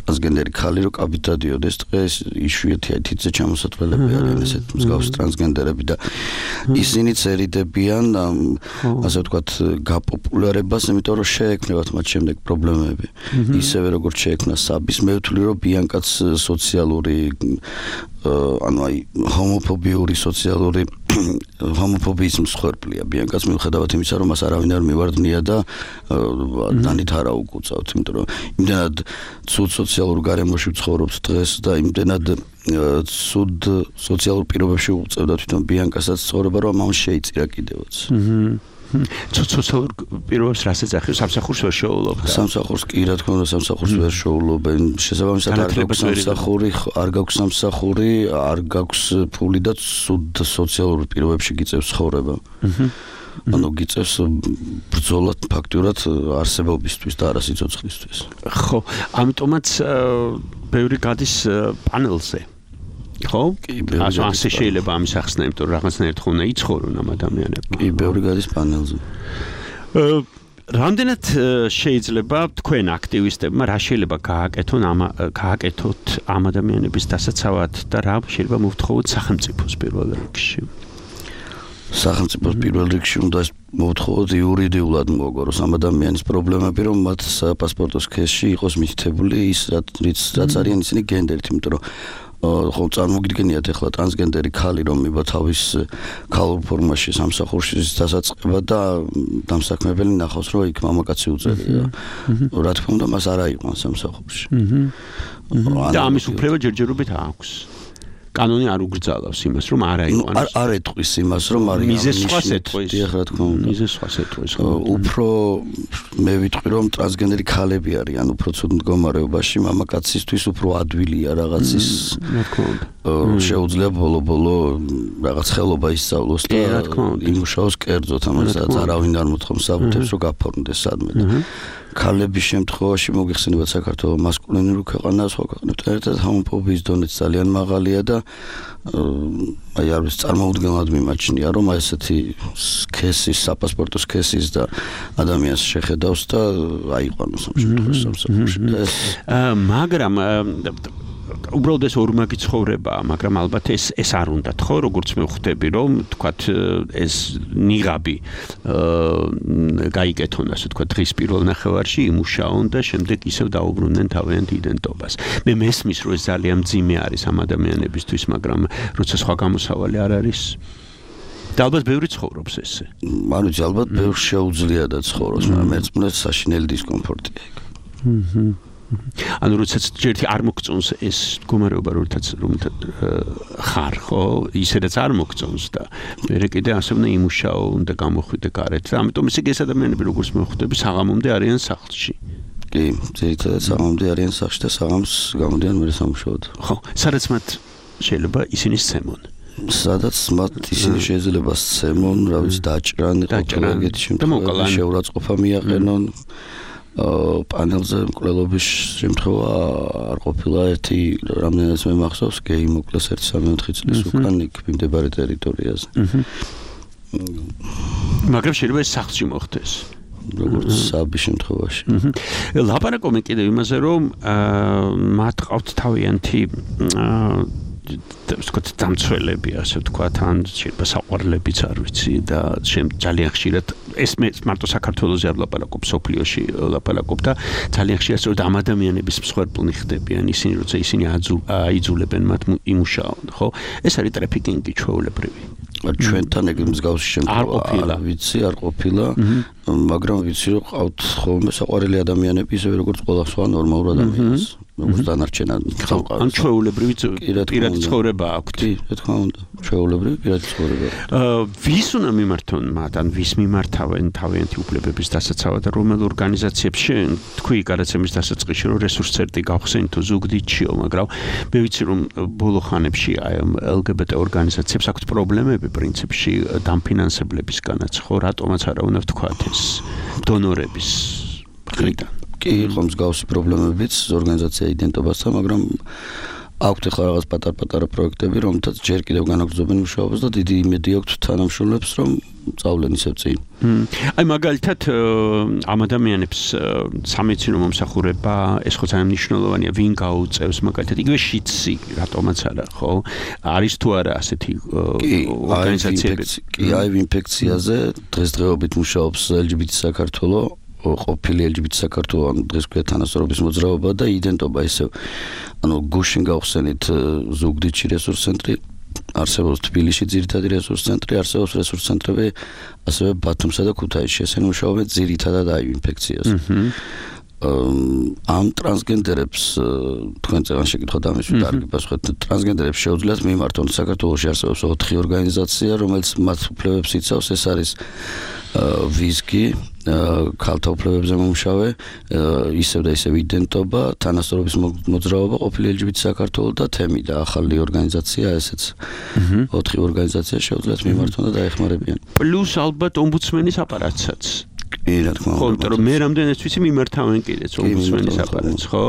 S3: ტრანსგენდერი ქალი რო კაბით დადიოდეს დღეს იშვიათია თითზე ჩამოსათვლელები არიან ესეთ მსგავს ტრანსგენდერები და ისინიც ერიდებიან ასე ვთქვათ გაპოპულარებას იმიტომ რომ შეექმნათ მათ შემდეგ პრობლემები ისევე როგორც შეექმნა საბის მე ვთვლი რომ ბიანკაც სოციალური ანუ აი ჰომოფობიური სოციალური ჰომოფობიის მსხვერპლია ბიანკაც მიუხედავად იმისა რომ მას არავინ არ მივარდნია და დანით არა უკუწავთ იმიტომ რომ იმდენად ცუდ სოციალურ გარემოში ვცხოვრობთ დღეს და იმდენად ცუდ სოციალურ პირობებში უწევდა თვითონ ბიანკასაც ცხოვრება რომ ამან შეიწირა კიდევაც სოციალურ პირობებს რაც ეძახის სამსახურს ვერ შეუძლობ სამსახურს კი რა თქმა უნდა სამსახურს ვერ შეუძლობენ შესაბამისად არ გაქვს სამსახური არ გაქვს ფული და ცუდ სოციალურ პირობებში გიწევს ცხოვრება ანუ გიწევს ბრძოლად ფაქტურად არსებობისთვის და არა სიცოცხლისთვის ხო ამიტომაც ბევრი გადის პანელზე ხო? ასე შეიძლება ამის ახსნა, იმიტომ რომ რაღაცნაირად ხომ უნდა იცხოვრონ ამ ადამიანები. კი, ბევრი გადის პანელზე. რამდენად შეიძლება თქვენ აქტივისტებმა რა შეიძლება გააკეთოთ ამ ადამიანების დასაცავად და რა შეიძლება მოვთხოვოთ სახელმწიფოს პირველ რიგში? სახელმწიფოს პირველ რიგში უნდა მოვთხოვოთ იურიდიულად მოგოროს ამ ადამიანის პრობლემები რომ მათ პასპორტოს კეში იყოს მითითებული ის რაც არიან ისინი გენდერით, იმიტომ რომ ხო წარმოგიდგენიათ ახლა ტრანსგენდერი ქალი რომ მივა თავის ქალურ ფორმაში სამსახურში დასაწყება და დამსაქმებელი ნახავს რომ იქ მამაკაცი უწევია რა თქმა უნდა მას არ აიყვანს სამსახურში და ამის უფლება ჯერჯერობით აქვს კანონი არ უგრძალავს იმას რომ არ აიყვანოს არ ეტყვის იმას რომ არის მიზეს სხვას ეტყვის რა თქმა უნდა მიზეს სხვას ეტყვის უფრო მე ვიტყვი რომ ტრანსგენდერი ქალები არიან უფრო ცუდ მდგომარეობაში მამაკაცისთვის უფრო ადვილია რაღაცის რა თქმა უნდა შეუძლია ბოლო რაღაც ხელობა ისწავლოს და იმუშაოს კერძოდ ამასაც არავინ არ მოთხოვს საბუთებს რომ გაფორმდეს სადმე და ქალების შემთხვევაში მოგიხსენებათ საქართველოს მასკულინური ქვეყანა სხვა ქვეყნებთან ერთად ჰომოფობიის დონეც ძალიან მაღალია და აი არის წარმოუდგენლად მიმაჩნია რომ ესეთი კესის საპასპორტო კესის და ადამიანს შეხედავს და აიყვანოს ამ შემთხვევაში სამსახურში მაგრამ უბრალოდ ეს ორმაგი ცხოვრებაა, მაგრამ ალბათ ეს არ უნდათ, ხო, როგორც მე ვხვდები, რომ თქვათ ეს ნიღაბი გაიკეთონ, ასე თქვათ, დღის პირველ ნახევარში იმუშაონ და შემდეგ ისევ დაუბრუნდნენ თავიანთ იდენტობას. მე მესმის, რომ ეს ძალიან მძიმე არის ამ ადამიანებისთვის, მაგრამ როცა სხვა გამოსავალი არ არის და ალბათ ბევრი ცხოვრობს ესე. ანუ ალბათ ბევრს შეუძლია და ცხოვრობს, მაგრამ ერთმანეთს საშინელი დისკომფორტია იქ. ანუ როდესაც ჯერ არ მოგწონს ეს მდგომარეობა როდესაც ხარ ხო ისედაც არ მოგწონს და მე კიდე ასე უნდა იმუშაო უნდა გამოხვიდე გარეთ და ამიტომ ისე ეს ადამიანები როგორც მე ხვდები საღამომდე არიან სახლში კი ძირითადად საღამომდე არიან სახლში და საღამოს გამოდიან მე სამუშაოდ ხო სადაც მათ შეიძლება ისინი სცემონ
S9: სადაც მათ ისინი შეიძლება სცემონ, რა ვიცი, დაჭრან, ეგეთი შემთხვევაში შეურაცხყოფა მიაყენონ. პანელზე მკვლელობის შემთხვევა არ ყოფილა ერთი რამდენადაც მე მახსოვს გეი მოკლეს 1-3 წლის უკან იქ მიმდებარე ტერიტორიაზე.
S3: მაგრამ შეიძლება ეს სახლში მოხდეს.
S9: როგორც საბის შემთხვევაში.
S3: ლაპარაკობენ კიდევ იმაზე, რომ მათ ყავთ თავიანთი ვთქვათ დამცველები, ასე ვთქვათ, ან შეიძლება საყვარლებიც არ ვიცი და ძალიან ხშირად ეს მე მარტო საქართველოზე არ ლაპარაკობ, სოფლიოში ლაპარაკობ და ძალიან ხშირად სწორედ ამ ადამიანების მსხვერპლნი ხდებიან ისინი, როცა ისინი აიძულებენ მათ იმუშაონ, ხო? ეს არის ტრაფიკინგი ჩვეულებრივი.
S9: ჩვენთან ეგ მსგავსი შემთხვევა არ ვიცი, არ ყოფილა, მაგრამ ვიცი, რომ ყავთ ხოლმე საყვარელი ადამიანები, ისევე როგორც ყველა სხვა ნორმალურ ადამიანს. როგორც დანარჩენ სამყაროს.
S3: ან ჩვეულებრივი პირადი ცხოვრება აქვთ.
S9: კი, რა თქმა უნდა, ჩვეულებრივი პირადი ცხოვრება.
S3: ვის უნდა მიმართონ მათ, ან ვის მიმართავენ თავიანთი უფლებების დასაცავად და რომელ ორგანიზაციებში თქვი გადაცემის დასაწყისში, რომ რესურსცენტრი გავხსენით თუ ზუგდიდშიო, მაგრამ მე ვიცი, რომ ბოლო ხანებში აი LGBT ორგანიზაციებს აქვთ პრობლემები პრინციპში დამფინანსებლებისგანაც, ხო, რატომაც არა უნდა ვთქვათ ეს დონორების მხრიდან.
S9: კი, იყო მსგავსი პრობლემებიც ორგანიზაცია იდენტობასთან, მაგრამ აქვთ ახლა რაღაც პატარ-პატარა პროექტები, რომელთაც ჯერ კიდევ განაგრძობენ მუშაობას და დიდი იმედი აქვთ თანამშრომლებს, რომ წავლენ ისევ წინ.
S3: აი მაგალითად ამ ადამიანებს სამედიცინო მომსახურება, ეს ხო ძალიან მნიშვნელოვანია, ვინ გაუწევს მაგალითად იგივე შიცი, რატომაც არა, ხო? არის თუ არა ასეთი ორგანიზაციები?
S9: კი, აი ინფექციაზე დღესდღეობით მუშაობს LGBT საქართველოს ყოფილი LGBT საქართველოს დღეს ქვია თანასწორობის მოძრაობა და იდენტობა ისევ ანუ გუშინ გავხსენით ზუგდიდში რესურს ცენტრი არსებობს თბილისში ძირითადი რესურს ცენტრი არსებობს რესურს ცენტრები ასევე ბათუმსა და ქუთაისში ესენი მუშაობენ ძირითადად აი ინფექციაზე ამ ტრანსგენდერებს თქვენ წელს შეკითხოთ ამის დარგი პასუხით ტრანსგენდერებს შეუძლიათ მიმართონ საქართველოში არსებობს 4 ორგანიზაცია რომელიც მათ უფლებებს იცავს ეს არის ვიზგი ქალთა უფლებებზე მომშავე ისევ და ისევ იდენტობა თანასწორობის მოძრაობა ყოფილი LGBT საქართველოს და თემი და ახალი ორგანიზაცია ესეც 4 ორგანიზაცია შეუძლიათ მიმართონ და დაეხმარებიან
S3: პლუს ალბათ ომბუდსმენის აპარატსაც
S9: კი რა თქმა უნდა
S3: ხო მე რამდენიც ვიცი მიმართავენ კიდეც ომბუდსმენის აპარატს ხო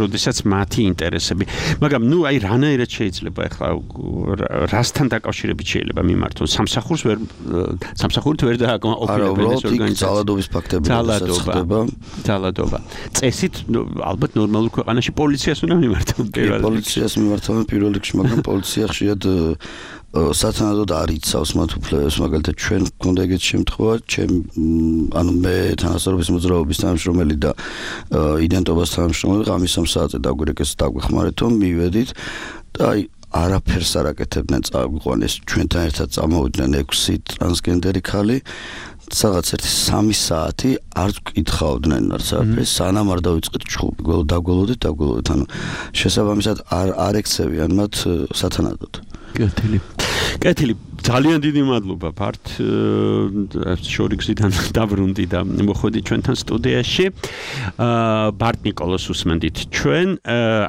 S3: როდესაც მათი ინტერესები მაგრამ ნუ აი რანაირად შეიძლება ახლა რასთან დაკავშირებით შეიძლება მიმართონ სამსახურით ვერ დააკმაყოფილებენ ეს ორგანიზაცია
S9: ძალადობის ფაქტები
S3: ძალადობა წესით ალბათ ნორმალურ ქვეყანაში პოლიციას უნდა მიმართონ
S9: პოლიციას მიმართავენ პირველ რიგში მაგრამ პოლიცია ხშირად სათანადოდ არ იცავს მათ უფლებებს მაგალითად ჩვენ გქონდა ეგეთი შემთხვევა ანუ მე თანასწორობის მოძრაობის თანამშრომელი და იდენტობას თანამშრომელი ღამის 3 საათზე დაგვირეკეს დაგვეხმარეთ რომ მივედით და აი არაფერს არ აკეთებდნენ წაგვიყვანეს ჩვენთან ერთად წამოვიდნენ 6 ტრანსგენდერი ქალი სადღაც 3 საათი არ ვკითხავდნენ არცერაფერს სანამ არ დავიწყეთ ჩხუბი დაგველოდით ანუ შესაბამისად არ ექცევიან მათ სათანადოდ
S3: კეთილი ძალიან დიდი მადლობა ფართ შორიგზიდან დაბრუნდი და მოხვედი ჩვენთან სტუდიაში ბარტ ნიკოლოს უსმენდით ჩვენ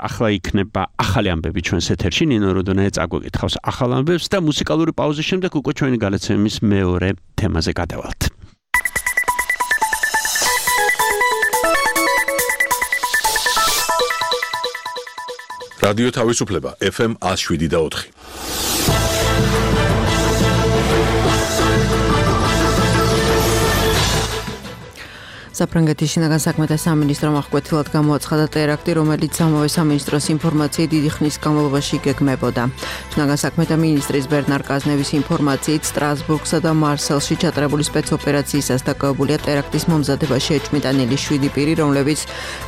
S3: ახლა იქნება ახალი ამბები ჩვენს ეთერში ნინო როდონაია წაგვეკითხავს ახალ ამბებს და მუსიკალური პაუზის შემდეგ უკვე ჩვენი გადაცემის მეორე თემაზე გადავალთ
S1: რადიო თავისუფლება FM 107.4
S10: საფრანგეთის შინაგან საქმეთა სამინისტრომ აღკვეთილად გამოაცხადა ტერაქტი, რომელიც ამავე სამინისტროს ინფორმაციით დიდი ხნის განმავლობაში გეგმებოდა. შინაგან საქმეთა მინისტრის ბერნარ კაზნევის ინფორმაციით სტრასბურგსა და მარსელში ჩატარებული სპეცოპერაციისას დაკავებულია ტერაქტის მომზადებაში ეჭვმიტანილი 7 პირი, რომლებიც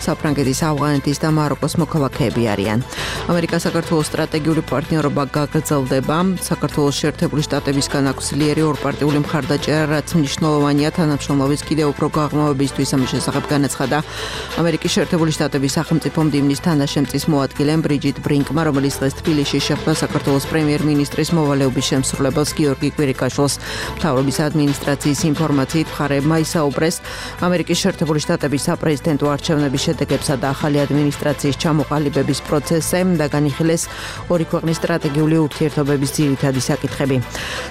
S10: საფრანგეთის, ავღანეთის და მაროკოს მოქალაქეები არიან. ამერიკა-საქართველოს სტრატეგიული პარტნიორობა გაგრძელდება. საქართველოს შეერთებული შტატებისგან აქვს ძლიერი ორპარტიული მხარდაჭერა, რაც მნიშვნელოვანია თანამშრომლობის კიდევ უფრო გაღრმავების მისთვის ამის შესახებ განაცხადა ამერიკის შეერთებული შტატების სახელმწიფო მდივნის თანაშემწის მოადგილემ ბრიჯიტ ბრინკმა, რომელიც დღეს თბილისში შეხვდა საქართველოს პრემიერ-მინისტრის მოვალეობის შემსრულებელს გიორგი კვირიკაშვილს. მთავრობის ადმინისტრაციის ინფორმაციით მხარეებმა ისაუბრეს ამერიკის შეერთებული შტატების საპრეზიდენტო არჩევნების შედეგებსა და ახალი ადმინისტრაციის ჩამოყალიბების პროცესზე და განიხილეს ორი ქვეყნის სტრატეგიული ურთიერთობების ძირითადი საკითხები.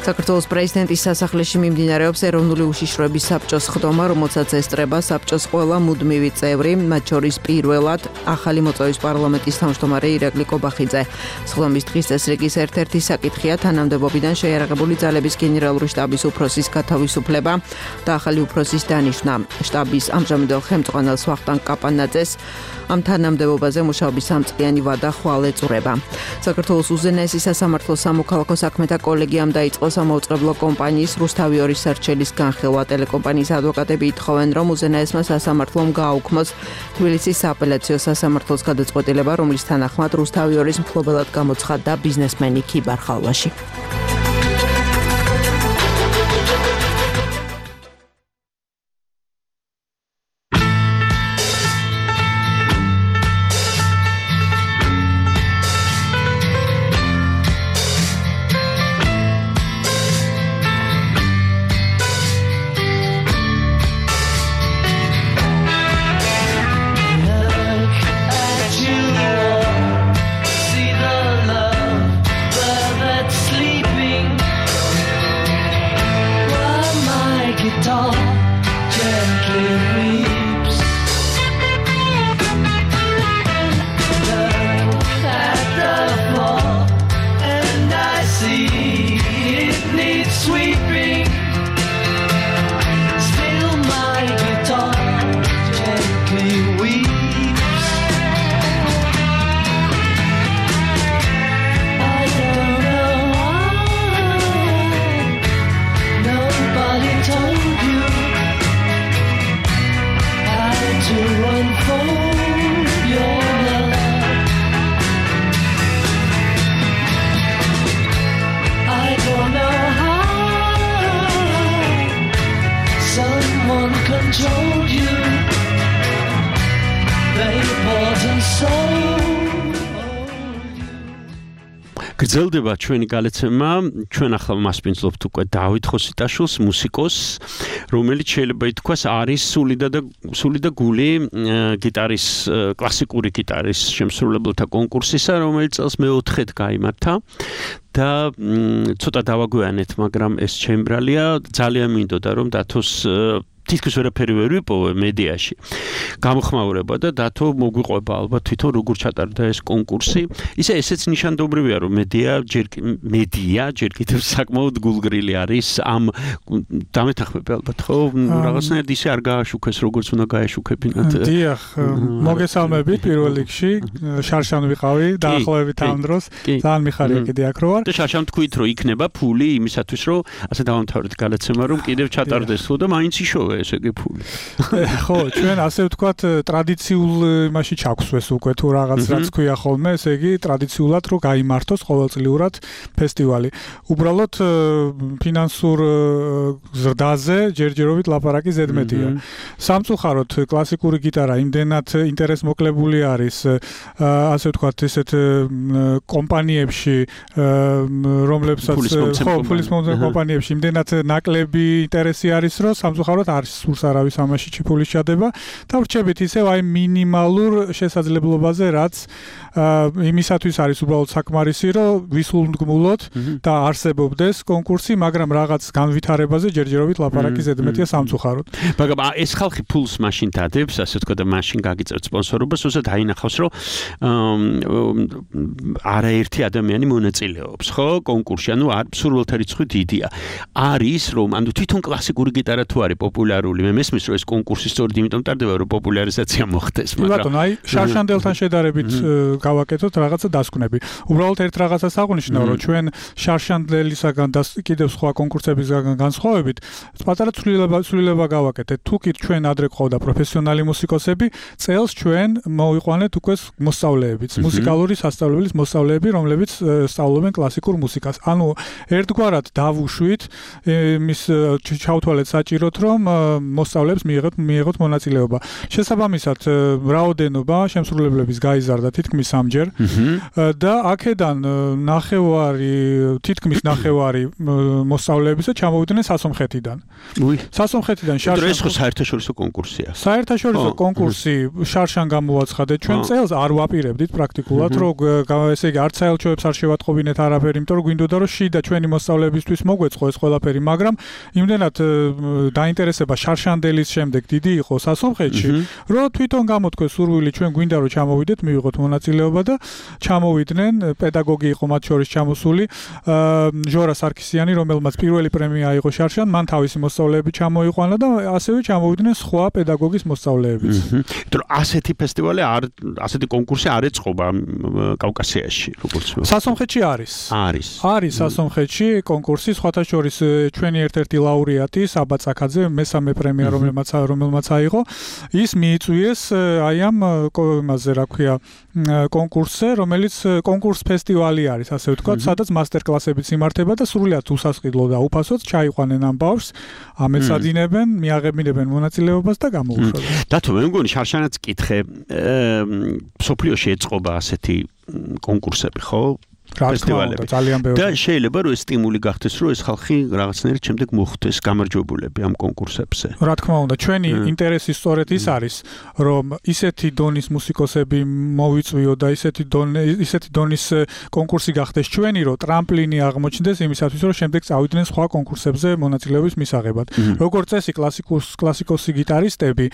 S10: საქართველოს პრეზიდენტის სასახლეში მიმდინარეობს ეროვნული უშიშროების საბჭოს ხდომა, რომელსაც ესწრება საბჭოს ყველა მუდმივი წევრი, მათ შორის პირველად ახალი მოწვევის პარლამენტის თავმჯდომარე ირაკლი კობახიძე. სხდომის დღის წესრიგის ერთ-ერთი საკითხია თანამდებობიდან შეიარაღებული ძალების გენერალური შტაბის უფროსის გათავისუფლება და ახალი უფროსის დანიშვნა. შტაბის ამჟამინდელ ხელმძღვანელს ვახტანგ კაპანაძეს ამ თანამდებობაზე მუშაობის 3 წლიანი ვადა ხვალ ეწურება. საქართველოს უზენაესი სასამართლო სამოქალაქო საქმეთა კოლეგიამ დაიწყო სამაუწყებლო კომპანიის რუსთავი 2 სარჩელის განხილვა. ტელეკომპანიის ადვოკატები ითხოვენ, რომ უზენაესმა სასამართლომ გააუქმოს თბილისის სააპელაციო სასამართლოს გადაწყვეტილება, რომლის თანახმად რუსთავი 2-ის მფლობელად გამოცხადდა ბიზნესმენი ქიბარ ხალვაში. გრძელდება ჩვენი გალეცემა, ჩვენ ახლა მასპინძლობთ უკვე დავით ხოსიტაშვილს, მუსიკოსს, რომელიც შეიძლება ითქვას არის სული და გული გიტარის, კლასიკური გიტარის შემსრულებელთა კონკურსისა, რომელიც წელს მე-4-ად გაიმართა და ცოტა დავაგვიანეთ, მაგრამ ეს ჩემბრალია, ძალიან მინდოდა რომ დათოს თითქოს ვერაფერი ვერ ვიპოვე მედიაში. გამოხმაურება და დათო მოგვიყვება ალბათ თვითონ როგორ ჩატარდა ეს კონკურსი. ესეც ნიშანდობრივია რომ მედია ჯერ კიდევ საკმაოდ გულგრილი არის ამ დამეთახმები ალბათ ხო? რაღაცნაირად ისე არ გააშუქეს როგორც უნდა გააშუქებინათ.
S11: დიახ, მოგესალმებით პირველ რიგში. შარშან ვიყავი დაახლოებით ამ დროს. ძალიან მიხარია კიდე აქ რო ვარ.
S3: და შარშან თქვით რომ იქნება ფული იმისათვის რომ ასე დავამთავრეთ გალეცემა რომ კიდევ ჩატარდეს ხო და მაინც იშოვე ესე იგი ფული.
S11: ხო, ჩვენ ასე ვთქვათ ტრადიციულ იმაში ჩაგვსვეს უკვე თუ რაღაც რაც ქვია ხოლმე, ესე იგი ტრადიციულად რომ გაიმართოს ყოველწლიურად ფესტივალი. უბრალოდ ფინანსურ ზრდაზე ჯერჯერობით ლაპარაკი ზედმეტია. სამწუხაროდ კლასიკური გიტარა იმდენად ინტერესმოკლებული არის ასე ვთქვათ ესეთ კომპანიებში, რომლებსაც ფულის მომცემ კომპანიებში იმდენად ნაკლები ინტერესი არის, რომ სამწუხაროდ არ სურს არავის ამაში ჩიფულის ჩადება და ვრჩებით ისევ აი მინიმალურ შესაძლებლობაზე, რაც იმისათვის არის უბრალოდ საკმარისი, რომ ვისულმდგმულოთ და არსებობდეს კონკურსი, მაგრამ რაღაც განვითარებაზე ჯერჯერობით ლაპარაკი ზედმეტია სამწუხაროდ.
S3: მაგრამ ეს ხალხი ფულს მაშინ დადებს, ასე ვთქვათ და მაშინ გაგიწევთ სპონსორობას, უბრალოდ აინახავს, რომ არაერთი ადამიანი მონაწილეობს, ხო, კონკურსში, ანუ სურვილთა რიცხვი დიდია. არის რომ ანუ თვითონ კლასიკური გიტარა თუ არის პოპულარული, მე მესმის რომ ეს კონკურსი სწორედ იმიტომ ტარდება, რომ პოპულარიზაცია მოხდეს, მაგრამ
S11: ბატონო, აი შარშანდელთან შედარებით გავაკეთოთ რაღაცა დასკვნები. უბრალოდ ერთ რაღაცას აღვნიშნავ, რომ ჩვენ შარშანდელისაგან და კიდევ სხვა კონკურსებისგან განსხვავებით, პატარა ცვლილება გავაკეთეთ. თუ კი ჩვენ ადრე ყავდა პროფესიონალი მუსიკოსები, წელს ჩვენ მოვიყვანეთ უკვე მოსწავლეებიც, მუსიკალური სასწავლებლის მოსწავლეები, რომლებიც სწავლობენ კლასიკურ მუსიკას. ანუ ერთგვარად დავუშვით, იმის ჩავთვალეთ საჭიროთ, რომ მოსწავლეებს მიიღოთ მონაწილეობა. შესაბამისად, რაოდენობა შემსრულებლების გაიზარდა თითქმის 3-ჯერ და აქედან თითქმის ნახევარი მოსწავლეებისა ჩამოვიდნენ სასომხეთიდან. სასომხეთიდან
S3: ეს ხო საერთაშორისო კონკურსია.
S11: საერთაშორისო კონკურსი შარშან გამოაცხადეთ. ჩვენ წელს არ ვაპირებდით პრაქტიკულად, რომ ესე იგი არც საელჩოებს არ შევატყობინეთ არაფერი, იმიტომ რომ გვინდოდა რომ შიდა ჩვენი მოსწავლეებისთვის მოგვეწყო ეს ყველაფერი, მაგრამ იმდენად დაინტერესება შარშანდელის შემდეგ დიდი იყო სასომხეთში, რომ თვითონ გამოთქვეს სურვილი ჩვენ გვინდა რომ ჩამოვიდეთ, მივიღოთ მონაწილეობა და ჩამოვიდნენ. პედაგოგი იყო მათ შორის ჩამოსული ჟორა სარქისიანი, რომელმაც პირველი პრემია აიღო შარშან, მან თავისი მოსწავლეები ჩამოიყვანა და ასევე ჩამოვიდნენ სხვა პედაგოგის მოსწავლეებიც.
S3: იმიტომ რომ ასეთი ფესტივალი ასეთი კონკურსი არ ეწყობა კავკასიაში, როგორც
S11: სასომხეთში არის სასომხეთში კონკურსი, სხვათა შორის ჩვენი ერთ-ერთი ლაურეატი საბა წაკაძე მესამე პრემია რომელმაც აიღო, ის მიიწვიეს აი ამ იმაზე რა ქვია კონკურსზე, რომელიც კონკურს ფესტივალი არის, ასე ვთქვათ, სადაც მასტერკლასებიც იმართება და სრულიად უსასყიდლო და უფასოდ ჩაიყვანენ ამ ბავშვს, ამეცადინებენ, მიაღებინებენ მონაწილეობას და გამოუშვებენ.
S3: დათო, მე მგონი შარშანაც კითხე, სოფლიოში ეწყობა ასეთი კონკურსები, ხო? ფესტივალები და შეიძლება რომ ეს სტიმული გახდეს რომ ეს ხალხი რაღაცნაირად შემდეგ მოხვდეს გამარჯვებულები ამ კონკურსებზე.
S11: რა თქმა უნდა, ჩვენი ინტერესი სწორედ ის არის, რომ ისეთი დონის მუსიკოსები მოვიწვიო და ისეთი დონის კონკურსი გახდეს ჩვენი, რომ ტრამპლინი აღმოჩნდეს იმისათვის, რომ შემდეგ წავიდნენ სხვა კონკურსებზე მონაწილეობის მისაღებად. როგორც წესი კლასიკოსი გიტარისტები,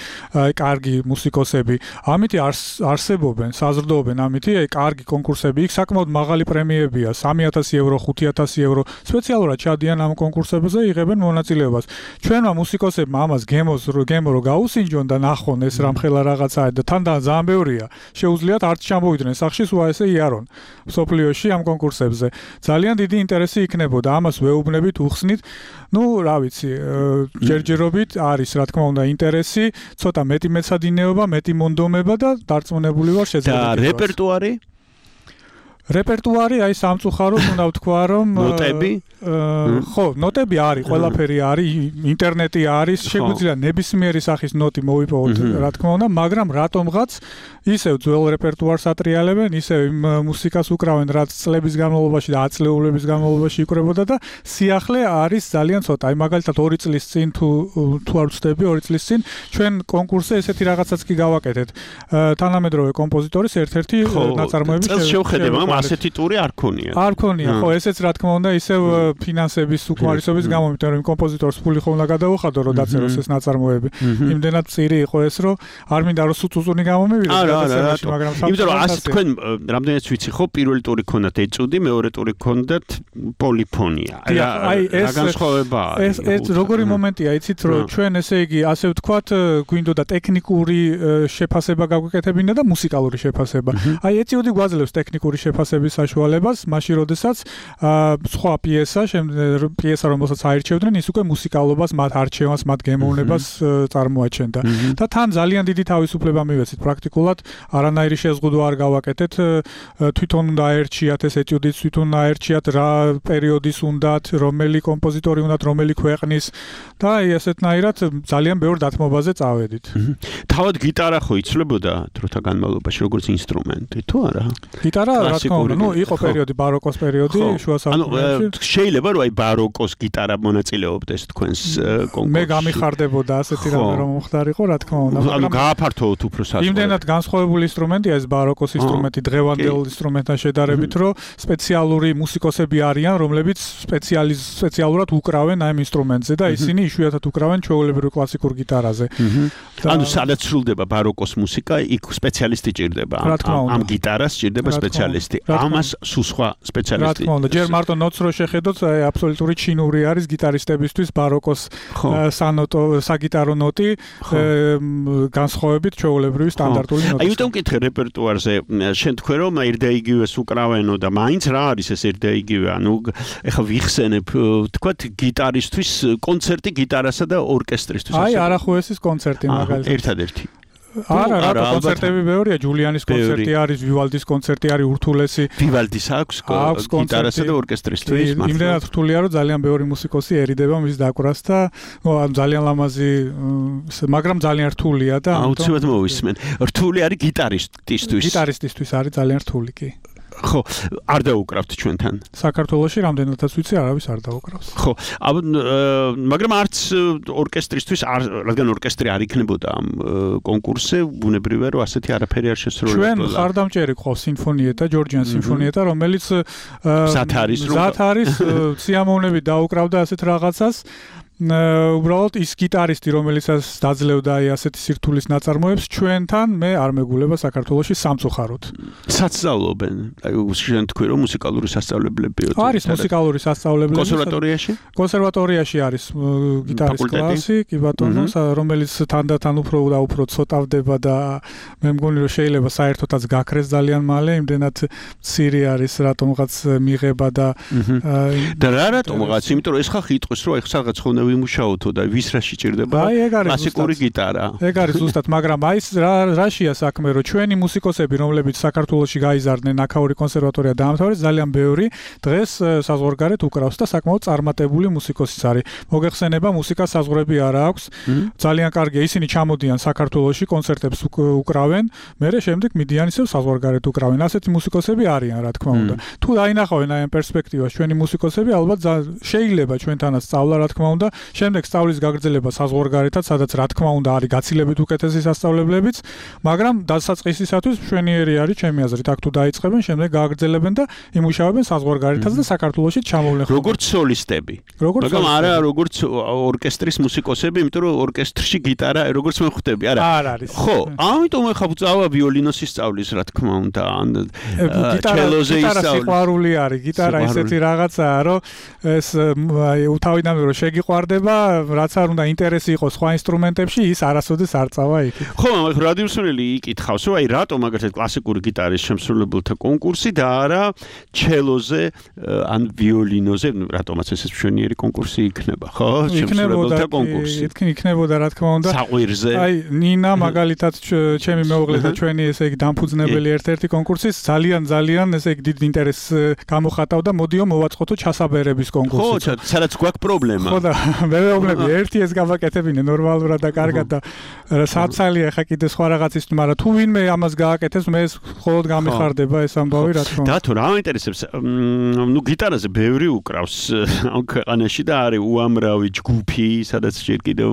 S11: კარგი მუსიკოსები, ამით არსებობენ, საზრდოობენ ამით, კარგი კონკურსები, იქ საკმაოდ მაღალი პრემიებია 3000 ევრო, 5000 ევრო, სპეციალურად ჩადიან ამ კონკურსებზე, იღებენ მონაწილეობას. ჩვენმა მუსიკოსებმა ამას გემო რო გაუსინჯონ და ნახონ ეს რამხელა რაღაცაა და თან ძალიან ბევრია. შეუძლიათ არც ჩამოვიდნენ სახში, სულ ესე იარონ სოფლიოში ამ კონკურსებზე. ძალიან დიდი ინტერესი იქნებოდა, ამას ვეუბნებით, უხსნით. ნუ, რა ვიცი, ჯერჯერობით არის, რა თქმა უნდა, ინტერესი, ცოტა მეტი მეცადინეობა, მეტი მონდომება და დარწმუნებული ვარ შეძლებელია.
S3: და რეპერტუარი?
S11: რეპერტუარი აი სამწუხაროდ უნდა ვთქვა რომ
S3: ნოტები?
S11: ხო, ნოტები არის, ყველაფერი არის, ინტერნეტი არის, შეგვიძლია ნებისმიერი სახის ნოტი მოვიპოვოთ, რა თქმა უნდა, მაგრამ რატომღაც ისევ ძველ რეპერტუარს ატრიალებენ, ისევ იმ მუსიკას უკრავენ, რაც წლების განმავლობაში და ათწლეულების განმავლობაში იკვრებოდა და სიახლე არის ძალიან ცოტა. აი მაგალითად 2 წლის წინ თუ არ ვცდები, 2 წლის წინ ჩვენ კონკურსზე ესეთი რაღაცაც კი გავაკეთეთ. თანამედროვე კომპოზიტორის ერთ-ერთი ნაწარმოების
S3: შევხედება, ასეთი ტური არ ქონია.
S11: არ ქონია, ხო, ესეც რა თქმა უნდა ისევ ფინანსების უკმარისობის გამო, იმიტომ რომ კომპოზიტორს ფული ხომ უნდა გადაუხადო, რომ დაწეროს ეს ნაწარმოები. იმდენად წირი იყო ეს, რომ არ მინდა რომ სუწუწუნი გამომივიდეს გადაცემაში, მაგრამ
S3: იმიტომ რომ ასე თქვენ რამდენიც ვიცი ხო, პირველი ტური ქონდათ ეჭუდი, მეორე ტური ქონდათ პოლიფონია.
S11: აი ეს განსხვავებაა. ეს როგორი მომენტია, იცით, რომ ჩვენ ესე იგი ასე ვთქვათ, გვინდოდა ტექნიკური შეფასება გაგვეკეთებინა და მუსიკალური შეფასება. აი ეჭუდი გვაძლევს ტექნიკური შეფასების საშუალებას, მაშინ როდესაც სხვა პიესა რომელსაც აირჩევდნენ, ის უკვე მუსიკალობას, მათ არჩევანს, მათ გემოვნებას წარმოაჩენდა. და თან ძალიან დიდი თავისუფლება მივეცით პრაქტიკულად, არანაირი შეზღუდვა არ გავაკეთეთ, თვითონ უნდა აერჩიათ ეს ეტიუდიც, თვითონ აერჩიათ რა პერიოდის უნდათ, რომელი კომპოზიტორი უნდათ, რომელი ქვეყნის და აი ესეთნაირად ძალიან ბევრ დათმობაზე წავედით.
S3: თავად გიტარა ხო იცვლებოდა დროთა განმავლობაში როგორც ინსტრუმენტი, თუ არა?
S11: გიტარა რა თქმა უნდა, ნუ იყო პერიოდი ბაროკოს პერიოდი, შუა საუკუნეებში.
S3: შეიძლება რომ აი ბაროკოს გიტარა მონაწილეობდეს თქვენს კონკურსში.
S11: მე გამიხარდებოდა ასეთი რამე რომ მოხდარიყო, რა თქმა უნდა.
S3: ანუ გააფართოვოთ უფრო სასწორად.
S11: იმდენად განსხვავებული ინსტრუმენტია ეს ბაროკოს ინსტრუმენტი დღევანდელ ინსტრუმენტთან შედარებით, რომ სპეციალური მუსიკოსები არიან, რომლებიც სპეციალურად უკრავენ ამ ინსტრუმენტზე და ისინი იშვიათად უკრავენ ჩვეულებრივ კლასიკურ გიტარაზე.
S3: ანუ სადაც სრულდება ბაროკოს მუსიკა, იქ სპეციალისტი ჭირდება. ამ გიტარას ჭირდება სპეციალისტი. ამას სულ სხვა სპეციალისტი.
S11: რა თქმა უნდა, ჯერ მარტო ნოტს რო შეხედოთ, აბსოლუტური ჩინური არის გიტარისტებისთვის ბაროკოს საგიტარო ნოტი განსხვავებით ჩვეულებრივი სტანდარტული ნოტი.
S3: აი უთომ მკითხე რეპერტუარზე, შენ თქვენ რომ ერთ და იგივეს უკრავენო და მაინც რა არის ეს ერთ და იგივე, ანუ ეხლა ვიხსენებ, თქვათ გიტარისთვის კონცერტი გიტარასა და ორკესტრისთვის.
S11: აი არახუესის კონცერტი მაგალითად.
S3: ერთადერთი.
S11: არა, კონცერტები ბევრია, ჯულიანის კონცერტი არის, ვივალდის კონცერტი არის ურთულესი.
S3: ვივალდის აქვს გიტარასა და ორკესტრისთვის, მართლა.
S11: იმდენად რთულია, რომ ძალიან ბევრი მუსიკოსი ერიდება მის დაკვრას და ძალიან ლამაზი, მაგრამ ძალიან რთულია და
S3: აუცილებლად მოვისმენ. რთული არის გიტარისტისთვის.
S11: გიტარისტისთვის არის ძალიან რთული კი.
S3: ხო, არ დაუკრავთ ჩვენთან.
S11: საქართველოში რამდენადაც ვიცი, არავის არ დაუკრავს.
S3: ხო, მაგრამ არც ორკესტრისთვის, რადგან ორკესტრი არ იქნებოდა ამ კონკურსზე, ბუნებრივია, რომ ასეთი არაფერი არ შესრულებოდა.
S11: ჩვენ ხარდამჭერი ყავს სიმფონიეტა, ჯორჯიან სიმფონიეტა, რომელიც
S3: მზად არის,
S11: სიამოვნებით დაუკრავდა ასეთ რაღაცას. უბრალოდ ის გიტარისტი, რომელიცაც დაძლევდა აი ასეთი სირთულის ნაწარმოებს, ჩვენთან მე არ მეგულება საქართველოში სამწუხაროდ.
S3: სასწავლობენ. აი შენ თქვი რომ მუსიკალური სასწავლებლებია.
S11: არის მუსიკალური სასწავლებლები.
S3: კონსერვატორიაში?
S11: კონსერვატორიაში არის გიტარის კლასი, კი ბატონო, რომელიც თანდათან უფრო და უფრო ცოტავდება და მე მგონი რომ შეიძლება საერთოდაც გაქრეს ძალიან მალე, იმდენად მცირე არის რატომღაც მიღება და
S3: რა რატომღაც, იმიტომ რომ ეს ხალხი იტყვის რომ ეხლა რაღაც ხონდა ვიმუშაოთო და ვის რა შეჭირდება კლასიკური გიტარა.
S11: ეგ არის ზუსტად, მაგრამ აი რაშია საქმე, რომ ჩვენი მუსიკოსები, რომლებიც საქართველოში გაიზარდნენ, აქაური კონსერვატორია დაამთავრეს, ძალიან ბევრი დღეს საზღვარგარეთ უკრავს და საკმაოდ წარმატებული მუსიკოსიც არის. მოგეხსენება, მუსიკას საზღვრები არ აქვს. ძალიან კარგია, ისინი ჩამოდიან საქართველოში, კონცერტებს უკრავენ, მერე შემდეგ მიდიან ისევ საზღვარგარეთ უკრავენ. ასეთი მუსიკოსები არიან, რა თქმა უნდა. თუ დაინახავენ აი ამ პერსპექტივას ჩვენი მუსიკოსები, ალბათ შეიძლება ჩვენთანაც სწავლა, რა თქმა უნდა. შემდეგ სწავლის გაგრძელება საზღვარგარეთაც, სადაც რა თქმა უნდა არის გაცილებით უკეთესი სასწავლებლებიც, მაგრამ დასაწყისისათვის მშვენიერი არის ჩემი აზრით, აქ თუ დაიწყებენ, შემდეგ გააგრძელებენ და იმუშავებენ საზღვარგარეთაც და საქართველოში ჩამოვლენ.
S3: როგორც სოლისტები. მაგრამ არა როგორც ორკესტრის მუსიკოსები, იმიტომ რომ ორკესტრში გიტარა როგორც მე ხვდები, არა.
S11: არ არის.
S3: ხო, ამიტომ ახლა წავა ვიოლინოსი სწავლის, რა თქმა უნდა, ან ჩელოზე ისწავლის.
S11: გიტარა სიყვარული არის, გიტარა ისეთი რაღაცაა, რომ ეს თავიდანვე რომ შეგიყვარდება, რაც არ უნდა ინტერესი იყოს სხვა ინსტრუმენტებში, ის არასოდეს არ წავა იქით.
S3: ხო, მაგრამ რადიოსმენელი იკითხავს, რომ აი რატომ მაგალითად კლასიკური გიტარის შემსრულებელთა კონკურსი და არა ჩელოზე ან ვიოლინოზე, რატომაც ეს მშვენიერი კონკურსი იქნება, ხო? შემსრულებელთა კონკურსი.
S11: იქნებოდა, რა თქმა უნდა.
S3: საყვირზე.
S11: აი, ნინა მაგალითად ჩემი მეუღლე და ჩვენი ესე იგი დამფუძნებელი ერთ-ერთი კონკურსის ძალიან ესე იგი დიდ ინტერესს გამოხატავდა, მოდიო მოვაწყოთო ჩასაბერების კონკურსი.
S3: ხო, სადაც გვაქვს პრობლემა.
S11: ხო და მე მეუბნები ერთი ეს გავაკეთებინე ნორმალურად და კარგად და საცალია ხა კიდე სხვა რაღაცის, მაგრამ თუ ვინმე ამას გააკეთებს, მე ეს მხოლოდ გამიხარდება ეს ამბავი, რა თქმა უნდა.
S3: და თუ რა მაინტერესებს, ნუ გიტარაზე ბევრი უკრავს ამ ქვეყანაში და არის უამრავი ჯგუფი, სადაც ჯერ კიდევ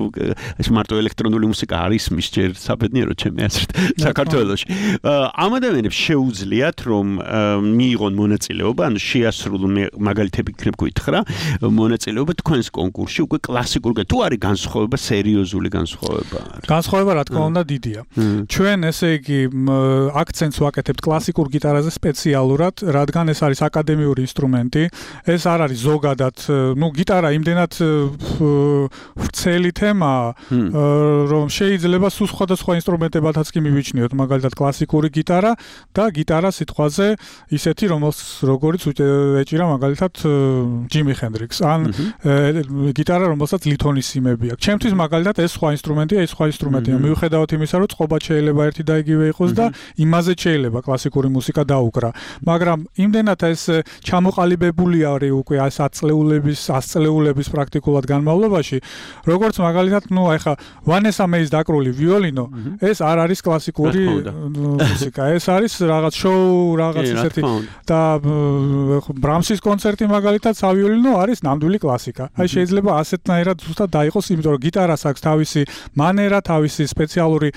S3: ეს მარტო ელექტრონული მუსიკა არის მის ჯერ საბედნიერო ჩემი აზრით საქართველოში. ამ ადამიანებს შეუძლიათ რომ მიიღონ მონაწილეობა, ანუ შეასრულონ მაგალითები იქნებ გითხრა, მონაწილეობა თქვენს კონკურსში უკვე კლასიკურ თუ არის განსხვავება, სერიოზული განსხვავება?
S11: განსხვავება რა თქმა უნდა დიდია. ჩვენ ესე იგი აქცენტს ვაკეთებთ კლასიკურ გიტარაზე სპეციალურად, რადგან ეს არის აკადემიური ინსტრუმენტი. ეს არ არის ზოგადად, ნუ გიტარა იმდენად ვრცელი თემაა, რომ შეიძლება სულ სხვადასხვა ინსტრუმენტებათაც კი მივიჩნიოთ, მაგალითად კლასიკური გიტარა და გიტარა სიტყვაზე ისეთი, როგორც ეჭირა მაგალითად ჯიმი ჰენდრიქსს, ან გიტარა, რომელსაც ლითონის სიმები აქვს. ჩემთვის მაგალითად ეს სხვა ინსტრუმენტია, ეს სხვა ინსტრუმენტია. მიუხედავად იმისა, რომ წყობა შეიძლება ერთი და იგივე იყოს და იმაზე შეიძლება კლასიკური მუსიკა დაუკრა. მაგრამ იმდენად ეს ჩამოყალიბებული არის უკვე ეს 100 წლეულების პრაქტიკულად განმავლობაში, როგორც მაგალითად, ნუ ახლა ვანესა მეის დაკრული ვიოლინო, ეს არ არის კლასიკური მუსიკა. ეს არის რაღაც შოუ, რაღაც ისეთი და ბრამსის კონცერტი მაგალითად სავიოლინო არის ნამდვილი კლასიკა. აი შეიძლება ასეთნაირად ზუსტად დაიყოს, იმიტომ რომ გიტარას აქვს თავისი მანერა, თავისი სპეციალური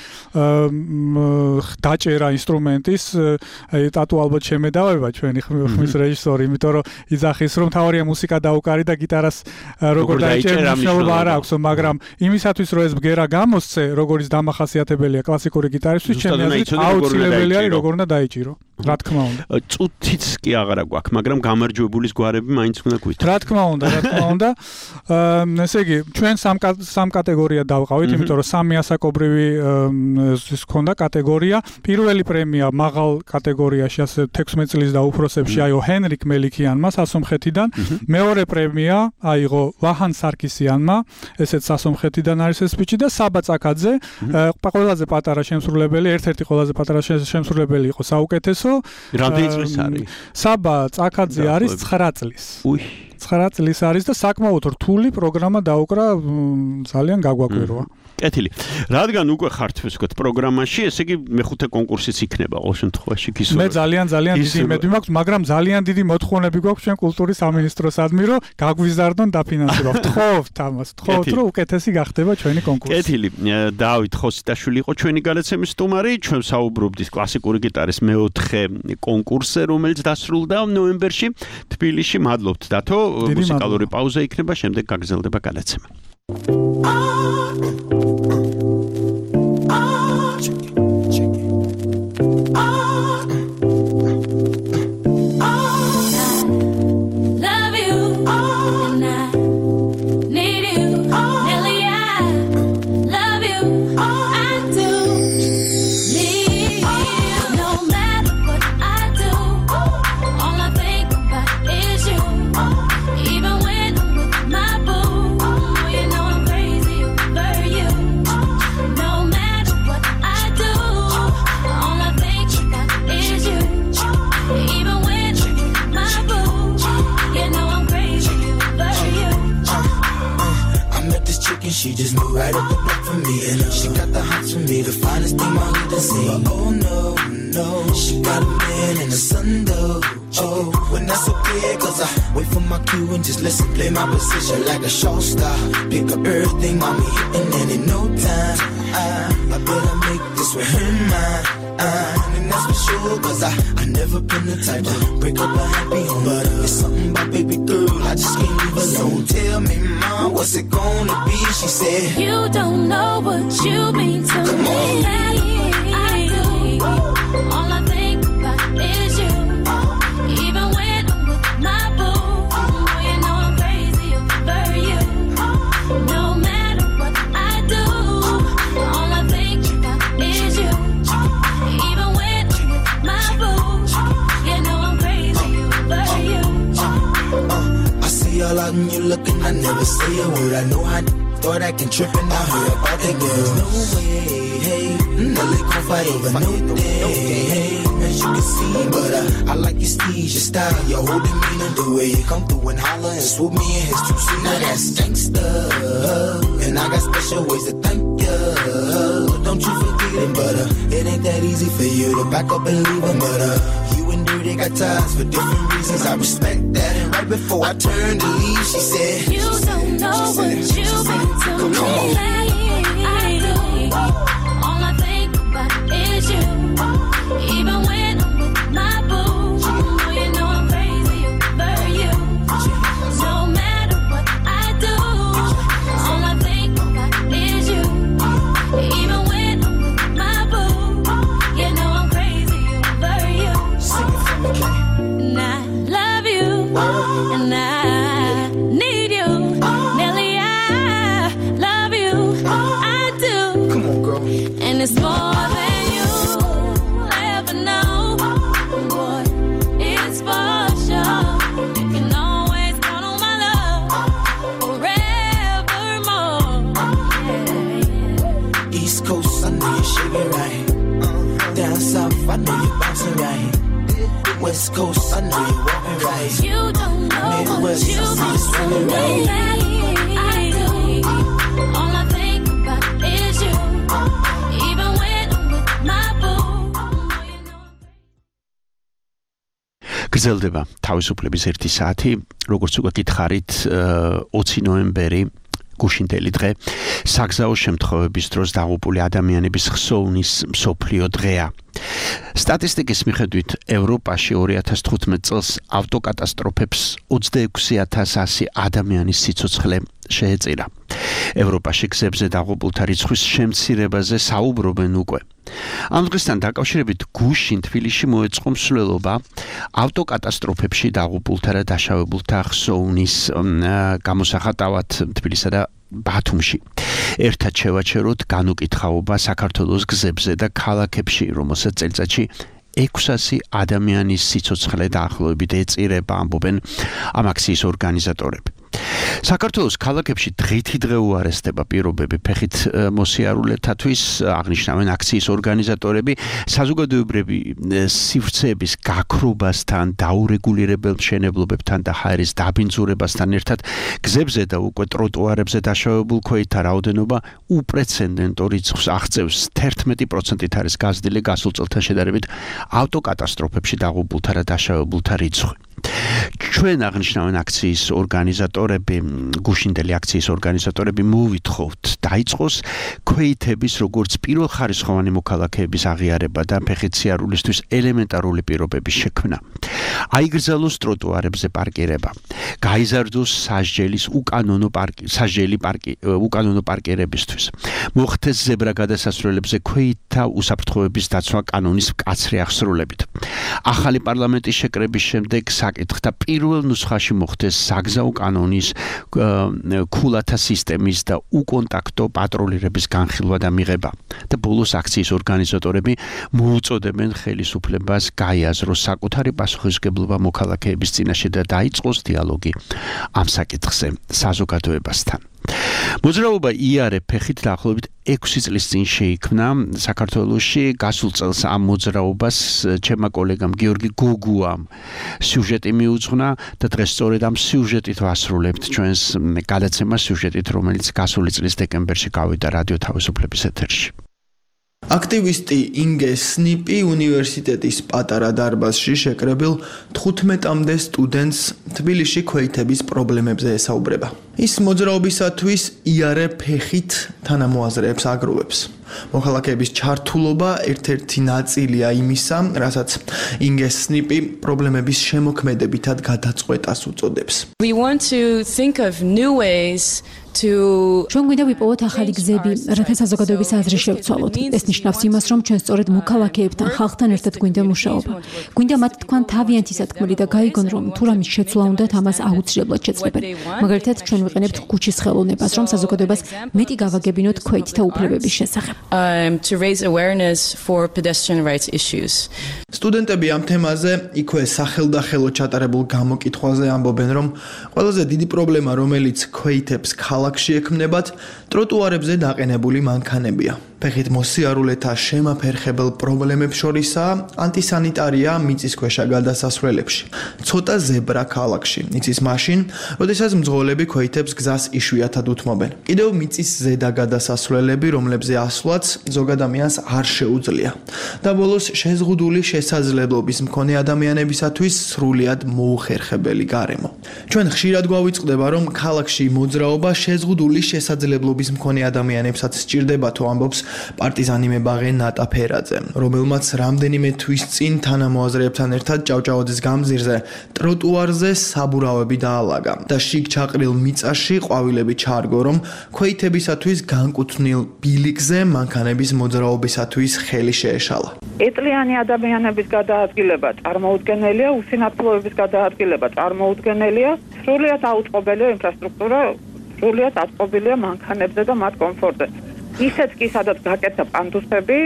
S11: დაჭერა ინსტრუმენტის. აი ტატუ ალბათ შემედავება ჩვენი ხმის რეჟისორი, იმიტომ რომ იძახის რომ თავარია მუსიკა დაუკარი და გიტარას როგორ დაიჭერა მნიშვნელობა არ აქვს, მაგრამ იმისათვის რომ ეს ბგერა გამოსცე, როგორც დამახასიათებელია კლასიკური გიტარისთვის, ჩემი აზრით აუცილებელი არის როგორ უნდა დაიჭირო. რა თქმა უნდა.
S3: წუთიც კი აღარა გვაქვს, მაგრამ გამარჯვებულის გვარები მაინც უნდა გვითხრათ.
S11: რა თქმა უნდა. ესე იგი, ჩვენ სამ კატეგორია დავყავით, იმიტომ რომ სამი ასაკობრივი ის ქონდა კატეგორია. პირველი პრემია მაღალ კატეგორიაში, ასე 16 წლის და უფროსებში აიღო ჰენრიკ მელიქიანმა სასომხეთიდან. მეორე პრემია აიღო ვაჰან სარკისიანმა, ესეც სასომხეთიდან არის ეს ბიჭი და საბა წაკაძე, ყველაზე პატარა შემსრულებელი, ერთ-ერთი ყველაზე პატარა შემსრულებელი იყო საუკეთესო.
S3: რამდენი წლის არის?
S11: საბა წაკაძე არის 9 წლის. 9 წლის არის და საკმაოდ რთული პროგრამა დაუკრა, ძალიან გაგვაკვირვა.
S3: კეთილი. რადგან უკვე ხართ ვთქვათ პროგრამაში, ესე იგი მეხუთე კონკურსიც იქნება ყოველ შემთხვევაში გისურვებთ.
S11: მე ძალიან დიდი იმედი მაქვს, მაგრამ ძალიან დიდი მოთხოვნები გვაქვს ჩვენ კულტურის სამინისტროსადმი, რომ გაგვიზარდონ დაფინანსება. ვთხოვთ ამას, ვთხოვთ, რომ უკეთესი გახდება ჩვენი კონკურსი.
S3: კეთილი. დავით ხოსიტაშვილი იყო ჩვენი გადაცემის სტუმარი, ჩვენ საუბრობდით კლასიკური გიტარის მეოთხე კონკურსზე, რომელიც დასრულდა ნოემბერში თბილისში. მადლობთ დათო. მუსიკალური პაუზა იქნება, შემდეგ გაგრძელდება გადაცემა.
S8: She just moved right up the block for me, and she got the hots for me, the finest thing I need to see. Oh no, she got a man and a son though. Oh, when that's okay, cause I wait for my cue and just listen, play my position like a show star. Pick up everything, mommy hitting, and in no time, I better make this with her mine. And that's for sure, cause I never been the type to break up a happy home. But it's something about baby girl, I just can't leave alone. Tell me, mom, what's it gonna be? She said,
S12: you don't know what you mean to
S8: Come
S12: me. I do. All I think about is you. Even when I'm with my boo, you know I'm crazy over you. No matter what I do, all I think about is you. Even when I'm with my boo, you know I'm crazy over you.
S8: I see all out and you looking, I never say a word. I know how thought I can trip and I heard about that girl. No way, hey, no they gon' fight over no day, hey, as you can see. But I like your steez, your style, your whole demeanor, the way you come through and holler and swoop me in his two-seater. Now that's gangsta, and I got special ways to thank you. Don't you forget it, but it ain't that easy for you to back up and leave him. But you and Dirty got ties for different reasons. I respect that, and right before I turned to leave, she said,
S12: you don't know what you've been to me. I do. All I think about is you. Even when I'm with my boo, you know I'm crazy over you. No matter what I do, all I think about is you. Even when I'm with my boo, you know I'm crazy over you. And I love you, and I need you. Nelly, I love you. I do.
S8: Come on, girl.
S12: And it's more than you ever know. Boy, it's for sure. You can always count on my love forevermore. Yeah.
S8: East Coast, I know you're shaking right. Down south, I know you're bouncing right. West Coast, I know you're walking right.
S12: You don't know
S8: Midwest,
S12: what you've
S8: I see you swinging
S12: been
S8: right.
S12: I do. All I think about is you. Even when I'm with my boo.
S3: გრძელდება თავისუფლების 1 საათი, როგორც უკვე გითხარით, 20 ნოემბერი გუშინდელი დღე, საგზაო შემთხვევების დროს დაღუპული ადამიანების ხსოვნის მსოფლიო დღეა. სტატისტიკის მიხედვით ევროპაში 2015 წელს ავტოკატასტროფებს 26,100 ადამიანის სიცოცხლე შეეწირა. ევროპაში გზებზე დაღუპულთა რიცხვის შემცირებაზე საუბრობენ უკვე. ამ დღესთან დაკავშირებით გუშინ თბილისში მოეწყო მსვლელობა ავტოკატასტროფებში დაღუპულთა და დაშავებულთა ხსოვნის გამოსახატავად თბილისსა და ბათუმში. ერთად შევაჩეროთ განუკითხაობა საქართველოს გზებზე და ქალაქებში, რომელსაც წელიწადში 600 ადამიანის სიცოცხლე დაახლოებით ეწირება, ამბობენ ამ აქციის ორგანიზატორები. საქართველოს ქალაქებში დღითიდღე უარესდება პირობები ფეხით მოსიარულეთათვის, აღნიშნავენ აქციის ორგანიზატორები, საზოგადოებრივი სივრცეების გაქრობასთან, დაურეგულირებელ მშენებლობებთან და ჰაერის დაბინძურებასთან ერთად გზებზე და უკვე ტროტუარებზე დაშავებულ ქვეითთა რაოდენობა უპრეცედენტო რიცხვს აღწევს. 11% არის გაზრდილი გასულ წელთან შედარებით ავტოკატასტროფებში დაღუპულთა და დაშავებულთა რიცხვი. ჩვენ აღნიშნავენ აქციის ორგანიზატორები, გუშინდელი აქციის ორგანიზატორები მოვითხოვთ დაიწყოს ქვეითების როგორც პირველხარისხოვანი მოქალაქეების აღიარება და ფეხით სიარულისთვის ელემენტარული პირობების შექმნა. აიგრძელოს ტროტუარებზე პარკირება, გაიზარდოს უკანონო პარკირებისთვის, მოხდეს ზებრა გადასასვლელებზე ქვეითთა უსაფრთხოების დაცვა კანონის მკაცრი აღსრულებით. ახალი პარლამენტის შეკრების შემდეგ საკითხთა პირველ ნუსხაში მოხდეს საგზაო კანონის ქულათა სისტემის და უკონტაქტო პატრულირების განხილვა და მიღება. და ბოლოს აქციის ორგანიზატორები მოუწოდებენ ხელისუფლებას გაიაზროს საკუთარი პასუხისმგებლობა მოქალაქეების წინაშე და დაიწყოს დიალოგი ამ საკითხზე საზოგადოებასთან. მოძრაობა იარე ფეხით დაახლოებით 6 წლის წინ შეიქმნა საქართველოში. გასულ წელს ამ მოძრაობას ჩემმა კოლეგამ გიორგი გოგუამ სიუჟეტი მიუძღვნა და დღეს სწორედ ამ სიუჟეტით ვასრულებთ ჩვენს გადაცემას, სიუჟეტით, რომელიც გასული წლის დეკემბერში გავიდა რადიო თავისუფლების ეთერში.
S13: აქტივისტი ინგე სნიპი უნივერსიტეტის პატარა დარბაზში შეკრებილ 15-მდე სტუდენტს თბილისში ქვეითების პრობლემებზე ესაუბრება. ის მოძრაობისათვის იარე ფეხით თანამოაზრეებს აგროვებს. მოქალაქეების ჩართულობა ერთ-ერთი ნაწილია იმისა, რასაც ინგე სნიპი პრობლემების შემოქმედებითად გადაწყვეტას უწოდებს.
S14: We want to think of new ways
S15: ჩვენ გვინდა ვიპოვოთ ახალი გზები, რათა საზოგადოების აზრი შევცვალოთ. ეს ნიშნავს იმას, რომ ჩვენ სწორედ მოქალაქეებთან, ხალხთან ერთად გვინდა მუშაობა. გვინდა მათ თქვან თავიანთი სათქმელი და გაიგონ, რომ თუ რამის შეცვლა უნდათ, ამას აუცილებლად შეძლებენ. მაგალითად, ჩვენ ვიყენებთ ქუჩის ხელოვნებას, რომ საზოგადოებას მეტი გავაგებინოთ ქვეითთა უფლებების შესახებ.
S14: To raise awareness for pedestrian rights issues.
S13: სტუდენტები ამ თემაზე იქვე სახელდახელო ჩატარებულ გამოკითხვაზე ამბობენ, რომ ყველაზე დიდი პრობლემა, რომელიც ქვეითებს ქალაქში ექმნებათ, ტროტუარებზე დაყენებული მანქანებია. ფეხით მოსიარულეთა შემაფერხებელ პრობლემებს შორისაა ანტისანიტარია მიწისქვეშა გადასასვლელებში. ცოტა ზებრა ქალაქში იცის მაშინ, როდესაც მძღოლები ქვეითებს გზას იშვიათად უთმობენ. კიდევ მიწის ზედა გადასასვლელები, რომლებზე ასვლაც ზოგ ადამიანს არ შეუძლია. და ბოლოს შეზღუდული შესაძლებლობის მქონე ადამიანებისათვის სრულიად მოუხერხებელი გარემო. ჩვენ ხშირად გვავიწყდება, რომ ქალაქში მოძრაობა შეზღუდული შესაძლებლობის მქონე ადამიანებსაც სჭირდებათო, ამბობს პარტიზანი მებაღე ნატა ფერაძე, რომელმაც რამდენიმე თვის წინ თანამოაზრეებთან ერთად ჭავჭავაძის გამზირზე ტროტუარზე საბურავები დაალაგა და შიგ ჩაყრილ მიწაში ყვავილები ჩაარგო, რომ ქვეითებისათვის განკუთვნილ ბილიკზე მანქანების მოძრაობისათვის ხელი შეეშალა.
S7: ეტლიანი ადამიანების გადაადგილება წარმოუდგენელია, უსინათლოების გადაადგილება წარმოუდგენელია, სრულიად აუწყობელია ინფრასტრუქტურა, სრულიად აწყობილია მანქანებზე და მათ კომფორტზე. ისეთ კი სადაც გაკეთდა პანდუსები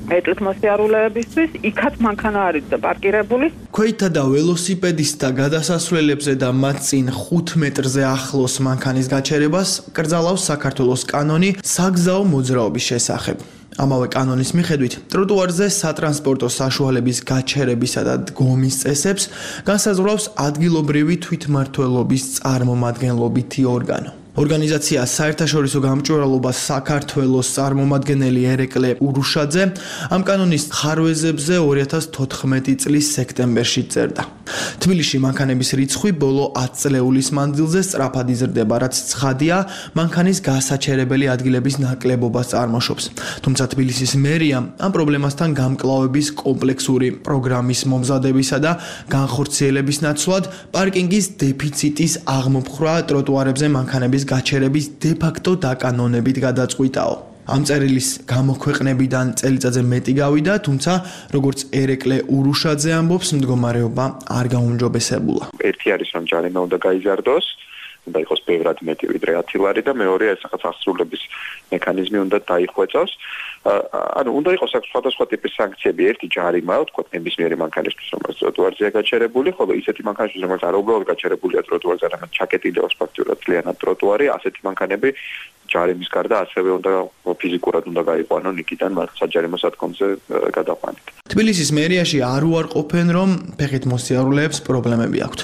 S7: ეტლით მოსიარულეებისთვის, იქაც მანქანა არის და პარკირებული.
S13: ქვეითთა და ველოსიპედისტთა გადასასვლელებზე და მათ წინ 5 მეტრზე ახლოს მანქანის გაჩერებას კრძალავს საქართველოს კანონი საგზაო მოძრაობის შესახებ. ამავე კანონის მიხედვით, ტროტუარზე სატრანსპორტო საშუალების გაჩერებისა და დგომის წესებს განსაზღვრავს ადგილობრივი თვითმმართველობის წარმომადგენლობითი ორგანო. ორგანიზაცია საერთაშორისო გამჭვირვალობა საქართველოს წარმომადგენელი ერეკლე ურუშაძე ამ კანონის ხარვეზებზე 2014 წლის სექტემბერში წერდა. თბილისში მანქანების რიცხვი ბოლო 10 წლეულის მანძილზე სწრაფად იზრდება, რაც ცხადია, მანქანის გასაჩერებელი ადგილების ნაკლებობას წარმოშობს. თუმცა თბილისის მერია ამ პრობლემასთან გამკლავების კომპლექსური პროგრამის მომზადებისა და განხორციელების ნაცვლად პარკინგის დეფიციტის აღმოფხვრა ტროტუარებზე მანქანების გაჩერების დე-ფაქტო დაკანონებით გადაწყვიტაო. ამ წერილის გამოქვეყნებიდან წელიწადზე მეტი გავიდა, თუმცა როგორც ერეკლე ურუშაძე ამბობს, მდგომარეობა არ გაუმჯობესებულა.
S16: ერთი არის რომ ჯარიმა უნდა გაიზარდოს, უნდა იყოს ბევრად მეტი ვიდრე 10 ლარი და მეორე ეს რაღაც აღსრულების მექანიზმი უნდა დაიხვეწოს. ანუ უნდა იყოს სხვადასხვა ტიპის სანქციები, ერთი ჯარიმა, თქვა ნებისმიერი მანქანისთვის, რომელიც ტროტუარზეა გაჩერებული, ხოლო ისეთი მანქანისთვის, რომელიც არ უბრალოდ გაჩერებულია ტროტუარზე, არამედ ჩაკეტილია სპექტრულად ძალიანად ტროტუარი, ასეთი მანქანები ჯარიმის გარდა ასევე უნდა ფიზიკურად უნდა გაიყვანონ იქიდან საჯარიმო სადგომზე გადაყვანით.
S13: თბილისის მერიაში არ უარყოფენ, რომ ფეხით მოსიარულეებს პრობლემები აქვთ.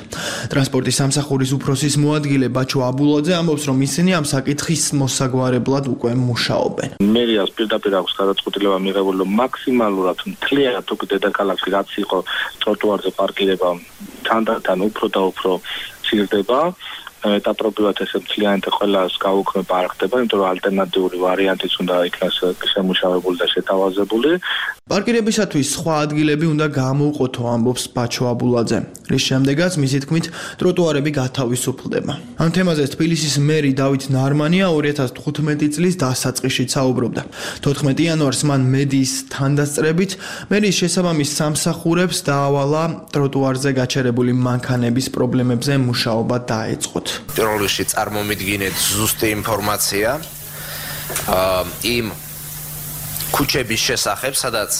S13: ტრანსპორტის სამსახურის უფროსის მოადგილე ბაჩო აბულაძე ამბობს, რომ ისინი ამ საკითხის მოსაგვარებლად უკვე მუშაობენ.
S17: მერიას პირდაპირ აქვს გადაწყვეტილება მიღებული, რომ მაქსიმალურად მთლიანად უკვე დედაქალაქში რაც იყო ტროტუარზე პარკირება თანდათან უფრო და უფრო ცირდება. ეტაპობრივად ესე მთლიანად ყველას გაუქმება არ ხდება, იმიტომ რომ ალტერნატიული ვარიანტიც უნდა იქნას შემუშავებული და შეთავაზებული.
S13: პარკირებისათვის სხვა ადგილები უნდა გამოუყოთო, ამბობს ბაჩო აბულაძე, რის შემდეგაც მისი თქმით ტროტუარები გათავისუფლდება. ამ თემაზე თბილისის მერი დავით ნარმანია 2015 წლის დასაწყისშიც საუბრობდა. 14 იანვარს მან მედიის თანდასწრებით მერის შესაბამის სამსახურებს დაავალა ტროტუარზე გაჩერებული მანქანების პრობლემებზე მუშაობა დაეწყოთ.
S18: პირველ რიგში წარმომიდგინეთ ზუსტი ინფორმაცია იმ ქუჩების შესახებ, სადაც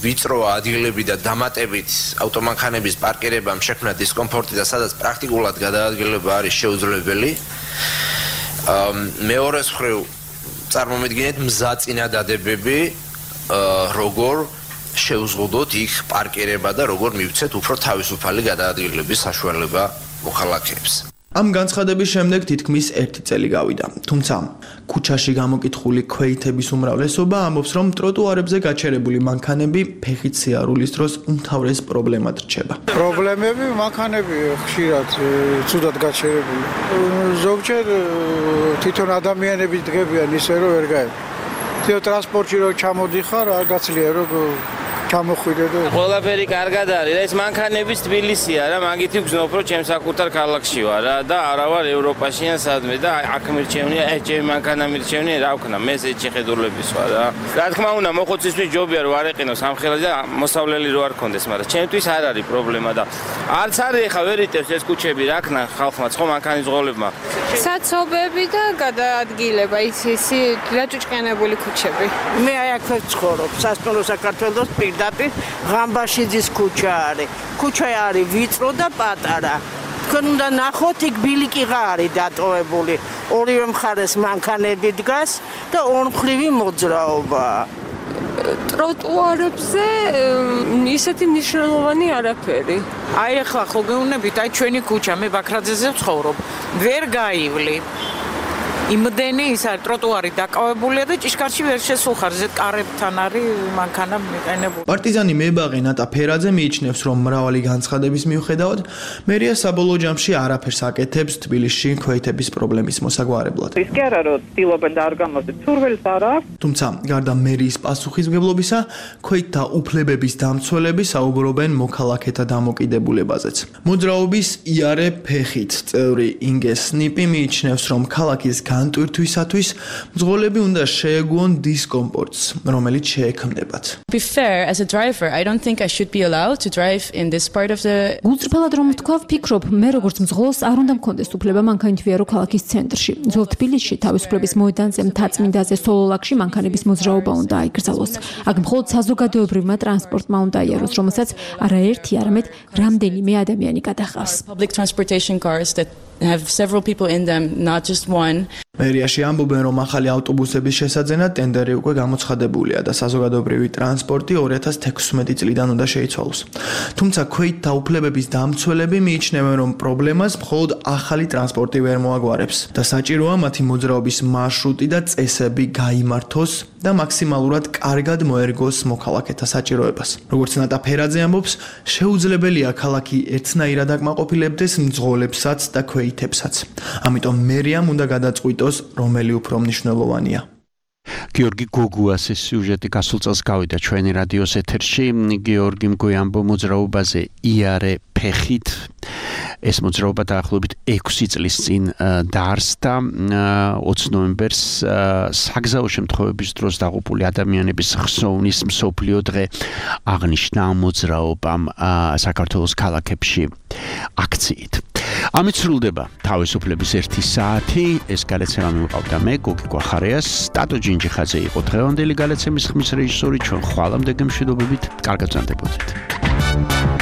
S18: ვიწრო ადგილები და დამატებით ავტომანქანების პარკირებამ შექმნა დისკომფორტი და სადაც პრაქტიკულად გადაადგილება არის შეუძლებელი. მეორეს მხრივ წარმომიდგინეთ მზაწინადადებები, როგორ შეუზღუდოთ იქ პარკირება და როგორ მივცეთ უფრო თავისუფალი გადაადგილების საშუალება მოქალაქეებს.
S13: ამ განცხადების შემდეგ თითქმის 1 წელი გავიდა. თუმცა ქუჩაში გამოკითხული ქვეითების უმრავლესობა ამბობს, რომ ტროტუარებზე გაჩერებული მანქანები ფეხით სიარულის დროს უმთავრეს პრობლემად რჩება.
S19: პრობლემები მანქანები ხშირად ცუდად გაჩერებული. ზოგჯერ თვითონ ადამიანები დგებიან ისე რომ ვერ გაება. თვითონ ტრანსპორტში რო ჩამოდიხარ, არ გაცლია რომ ჩამოხვიდე და
S20: ყველაფერი კარგად არის. ეს მანქანების თბილისია რა, მაგითი ვგზნობ რომ ჩემს საკუთარ ქალაქში ვარ რა და არა ვარ ევროპაში ან სადმე და აქ მირჩევნია, ჩემი მანქანა მირჩევნია, რა ვქნა, მე ეს შეხედულების ვარ რა. რა თქმა უნდა, მოხუცისთვის ჯობია რომ არ ეყინოს ამხელა და მოსავლელი რო არ კონდეს, მაგრამ ჩემთვის არ არის პრობლემა და არც არის ხა ვერ იტევს ეს ქუჩები, რა ქნა ხალხმა, ხო მანქანის ზღოლებმა.
S21: საცობები და გადაადგილება ისი დაჭუჭყიანებული ქუჩები.
S22: მე აი აქ ვცხოვრობ, სასწავლო საქართველოს პირდაპირ ღამბაშიძის ქუჩა არის. ქუჩა არის ვიწრო და პატარა. თქვენ უნდა ნახოთ, იქ ბილიკიღა არის დატოვებული. ორივე მხარეს მანქანები დგას და ორმხრივი მოძრაობა.
S21: ტროტუარებზე ისეთი მნიშვნელოვანი არაფერი.
S22: აი ახლა ხო გეუბნებით, აი ჩვენი ქუჩა, მე ბაქრაძეზე ვცხოვრობ. ვერ გაივლი. იმდენი ის არის ტროტუარი დაკავებულია და ჭიშკარში ვერ შესულხარ, ზედ კარებთან არის მანქანა მიყენებული.
S13: პარტიზანი მებაღე ნატა ფერაძე მიიჩნევს, რომ მრავალი განცხადების მიუხედავად, მერია საბოლოო ჯამში არაფერს აკეთებს თბილისში ქვეითების პრობლემის მოსაგვარებლად.
S23: ის კი არა რომ ცდილობენ და არ გამოძეთ, სურვილს არ აქვს.
S13: თუმცა, გარდა მერიის პასუხისმგებლობისა, ქვეითთა უფლებების დამცველები საუბრობენ მოქალაქეთა დამოკიდებულებაზეც. მოძრაობის იარე ფეხით წევრი ინგე სნიპი მიიჩნევს, რომ ქალაქის განტვირთვისათვის მძღოლები უნდა შეეგუონ დისკომფორტს, რომელიც შეექმნებათ.
S14: Be fair as a driver, I don't think I should be allowed to drive in this part of the
S15: გულწრფელად რომ ვთქვა, ვფიქრობ, მე როგორც მძღოლს არ უნდა მქონდეს უფლება მანქანით ვიარო ქალაქის ცენტრში. ძველ თბილისში თავისუფლების მოედანზე, მთაწმინდაზე, სოლოლაკში მანქანების მოძრაობა უნდა აიგრძელოს. აქ მხოლოდ საზოგადოებრივმა ტრანსპორტმა უნდა იაროს, რომელსაც არაერთი, არამედ რამდენიმე ადამიანი გადაჰყავს.
S14: public transportation cars that have several people in them, not just one.
S13: მერიაში ამბობენ, რომ ახალი ავტობუსების შესაძენად ტენდერი უკვე გამოცხადებულია და საზოგადოებრივი ტრანსპორტი 2016 წლიდან უნდა შეიცვალოს. თუმცა ქვეითთა უფლებების დამცველები მიიჩნევენ, რომ პრობლემას მხოლოდ ახალი ტრანსპორტი ვერ მოაგვარებს და საჭიროა მათი მოძრაობის მარშრუტი და წესები გაიმართოს და მაქსიმალურად კარგად მოერგოს მოქალაქეთა საჭიროებას. როგორც ნატა ფერაძე ამბობს, შეუძლებელია ქალაქი ერთნაირად აკმაყოფილებდეს მძღოლებსაც და ქვეითებსაც. ამიტომ მერიამ უნდა გადაწყვიტოს, რომელი უფრო მნიშვნელოვანია.
S3: გიორგი გოგუას ეს სიუჟეტი გასულ წელს გავიდა ჩვენი რადიოს ეთერში. გიორგიმ გვიამბო მოძრაობაზე იარე ფეხით. ეს მოძრაობა დაახლოებით 6 წლის წინ დაარსდა 20 ნოემბერს საგზაო შემთხვევების დროს დაღუპული ადამიანების ხსოვნის მსოფლიო დღე აღნიშნა მოძრაობამ საქართველოს ქალაქებში აქციით. ამით სრულდება თავისუფლების 1 საათი. ეს გადაცემა მივყავდა მე გოგი გვახარიას. სტატო ჯინჯიხაძე იყო დღევანდელი გადაცემის ხმის რეჟისორი. ჩვენ ხვალამდე გემშვიდობებით. კარგად ვზარდებოდეთ.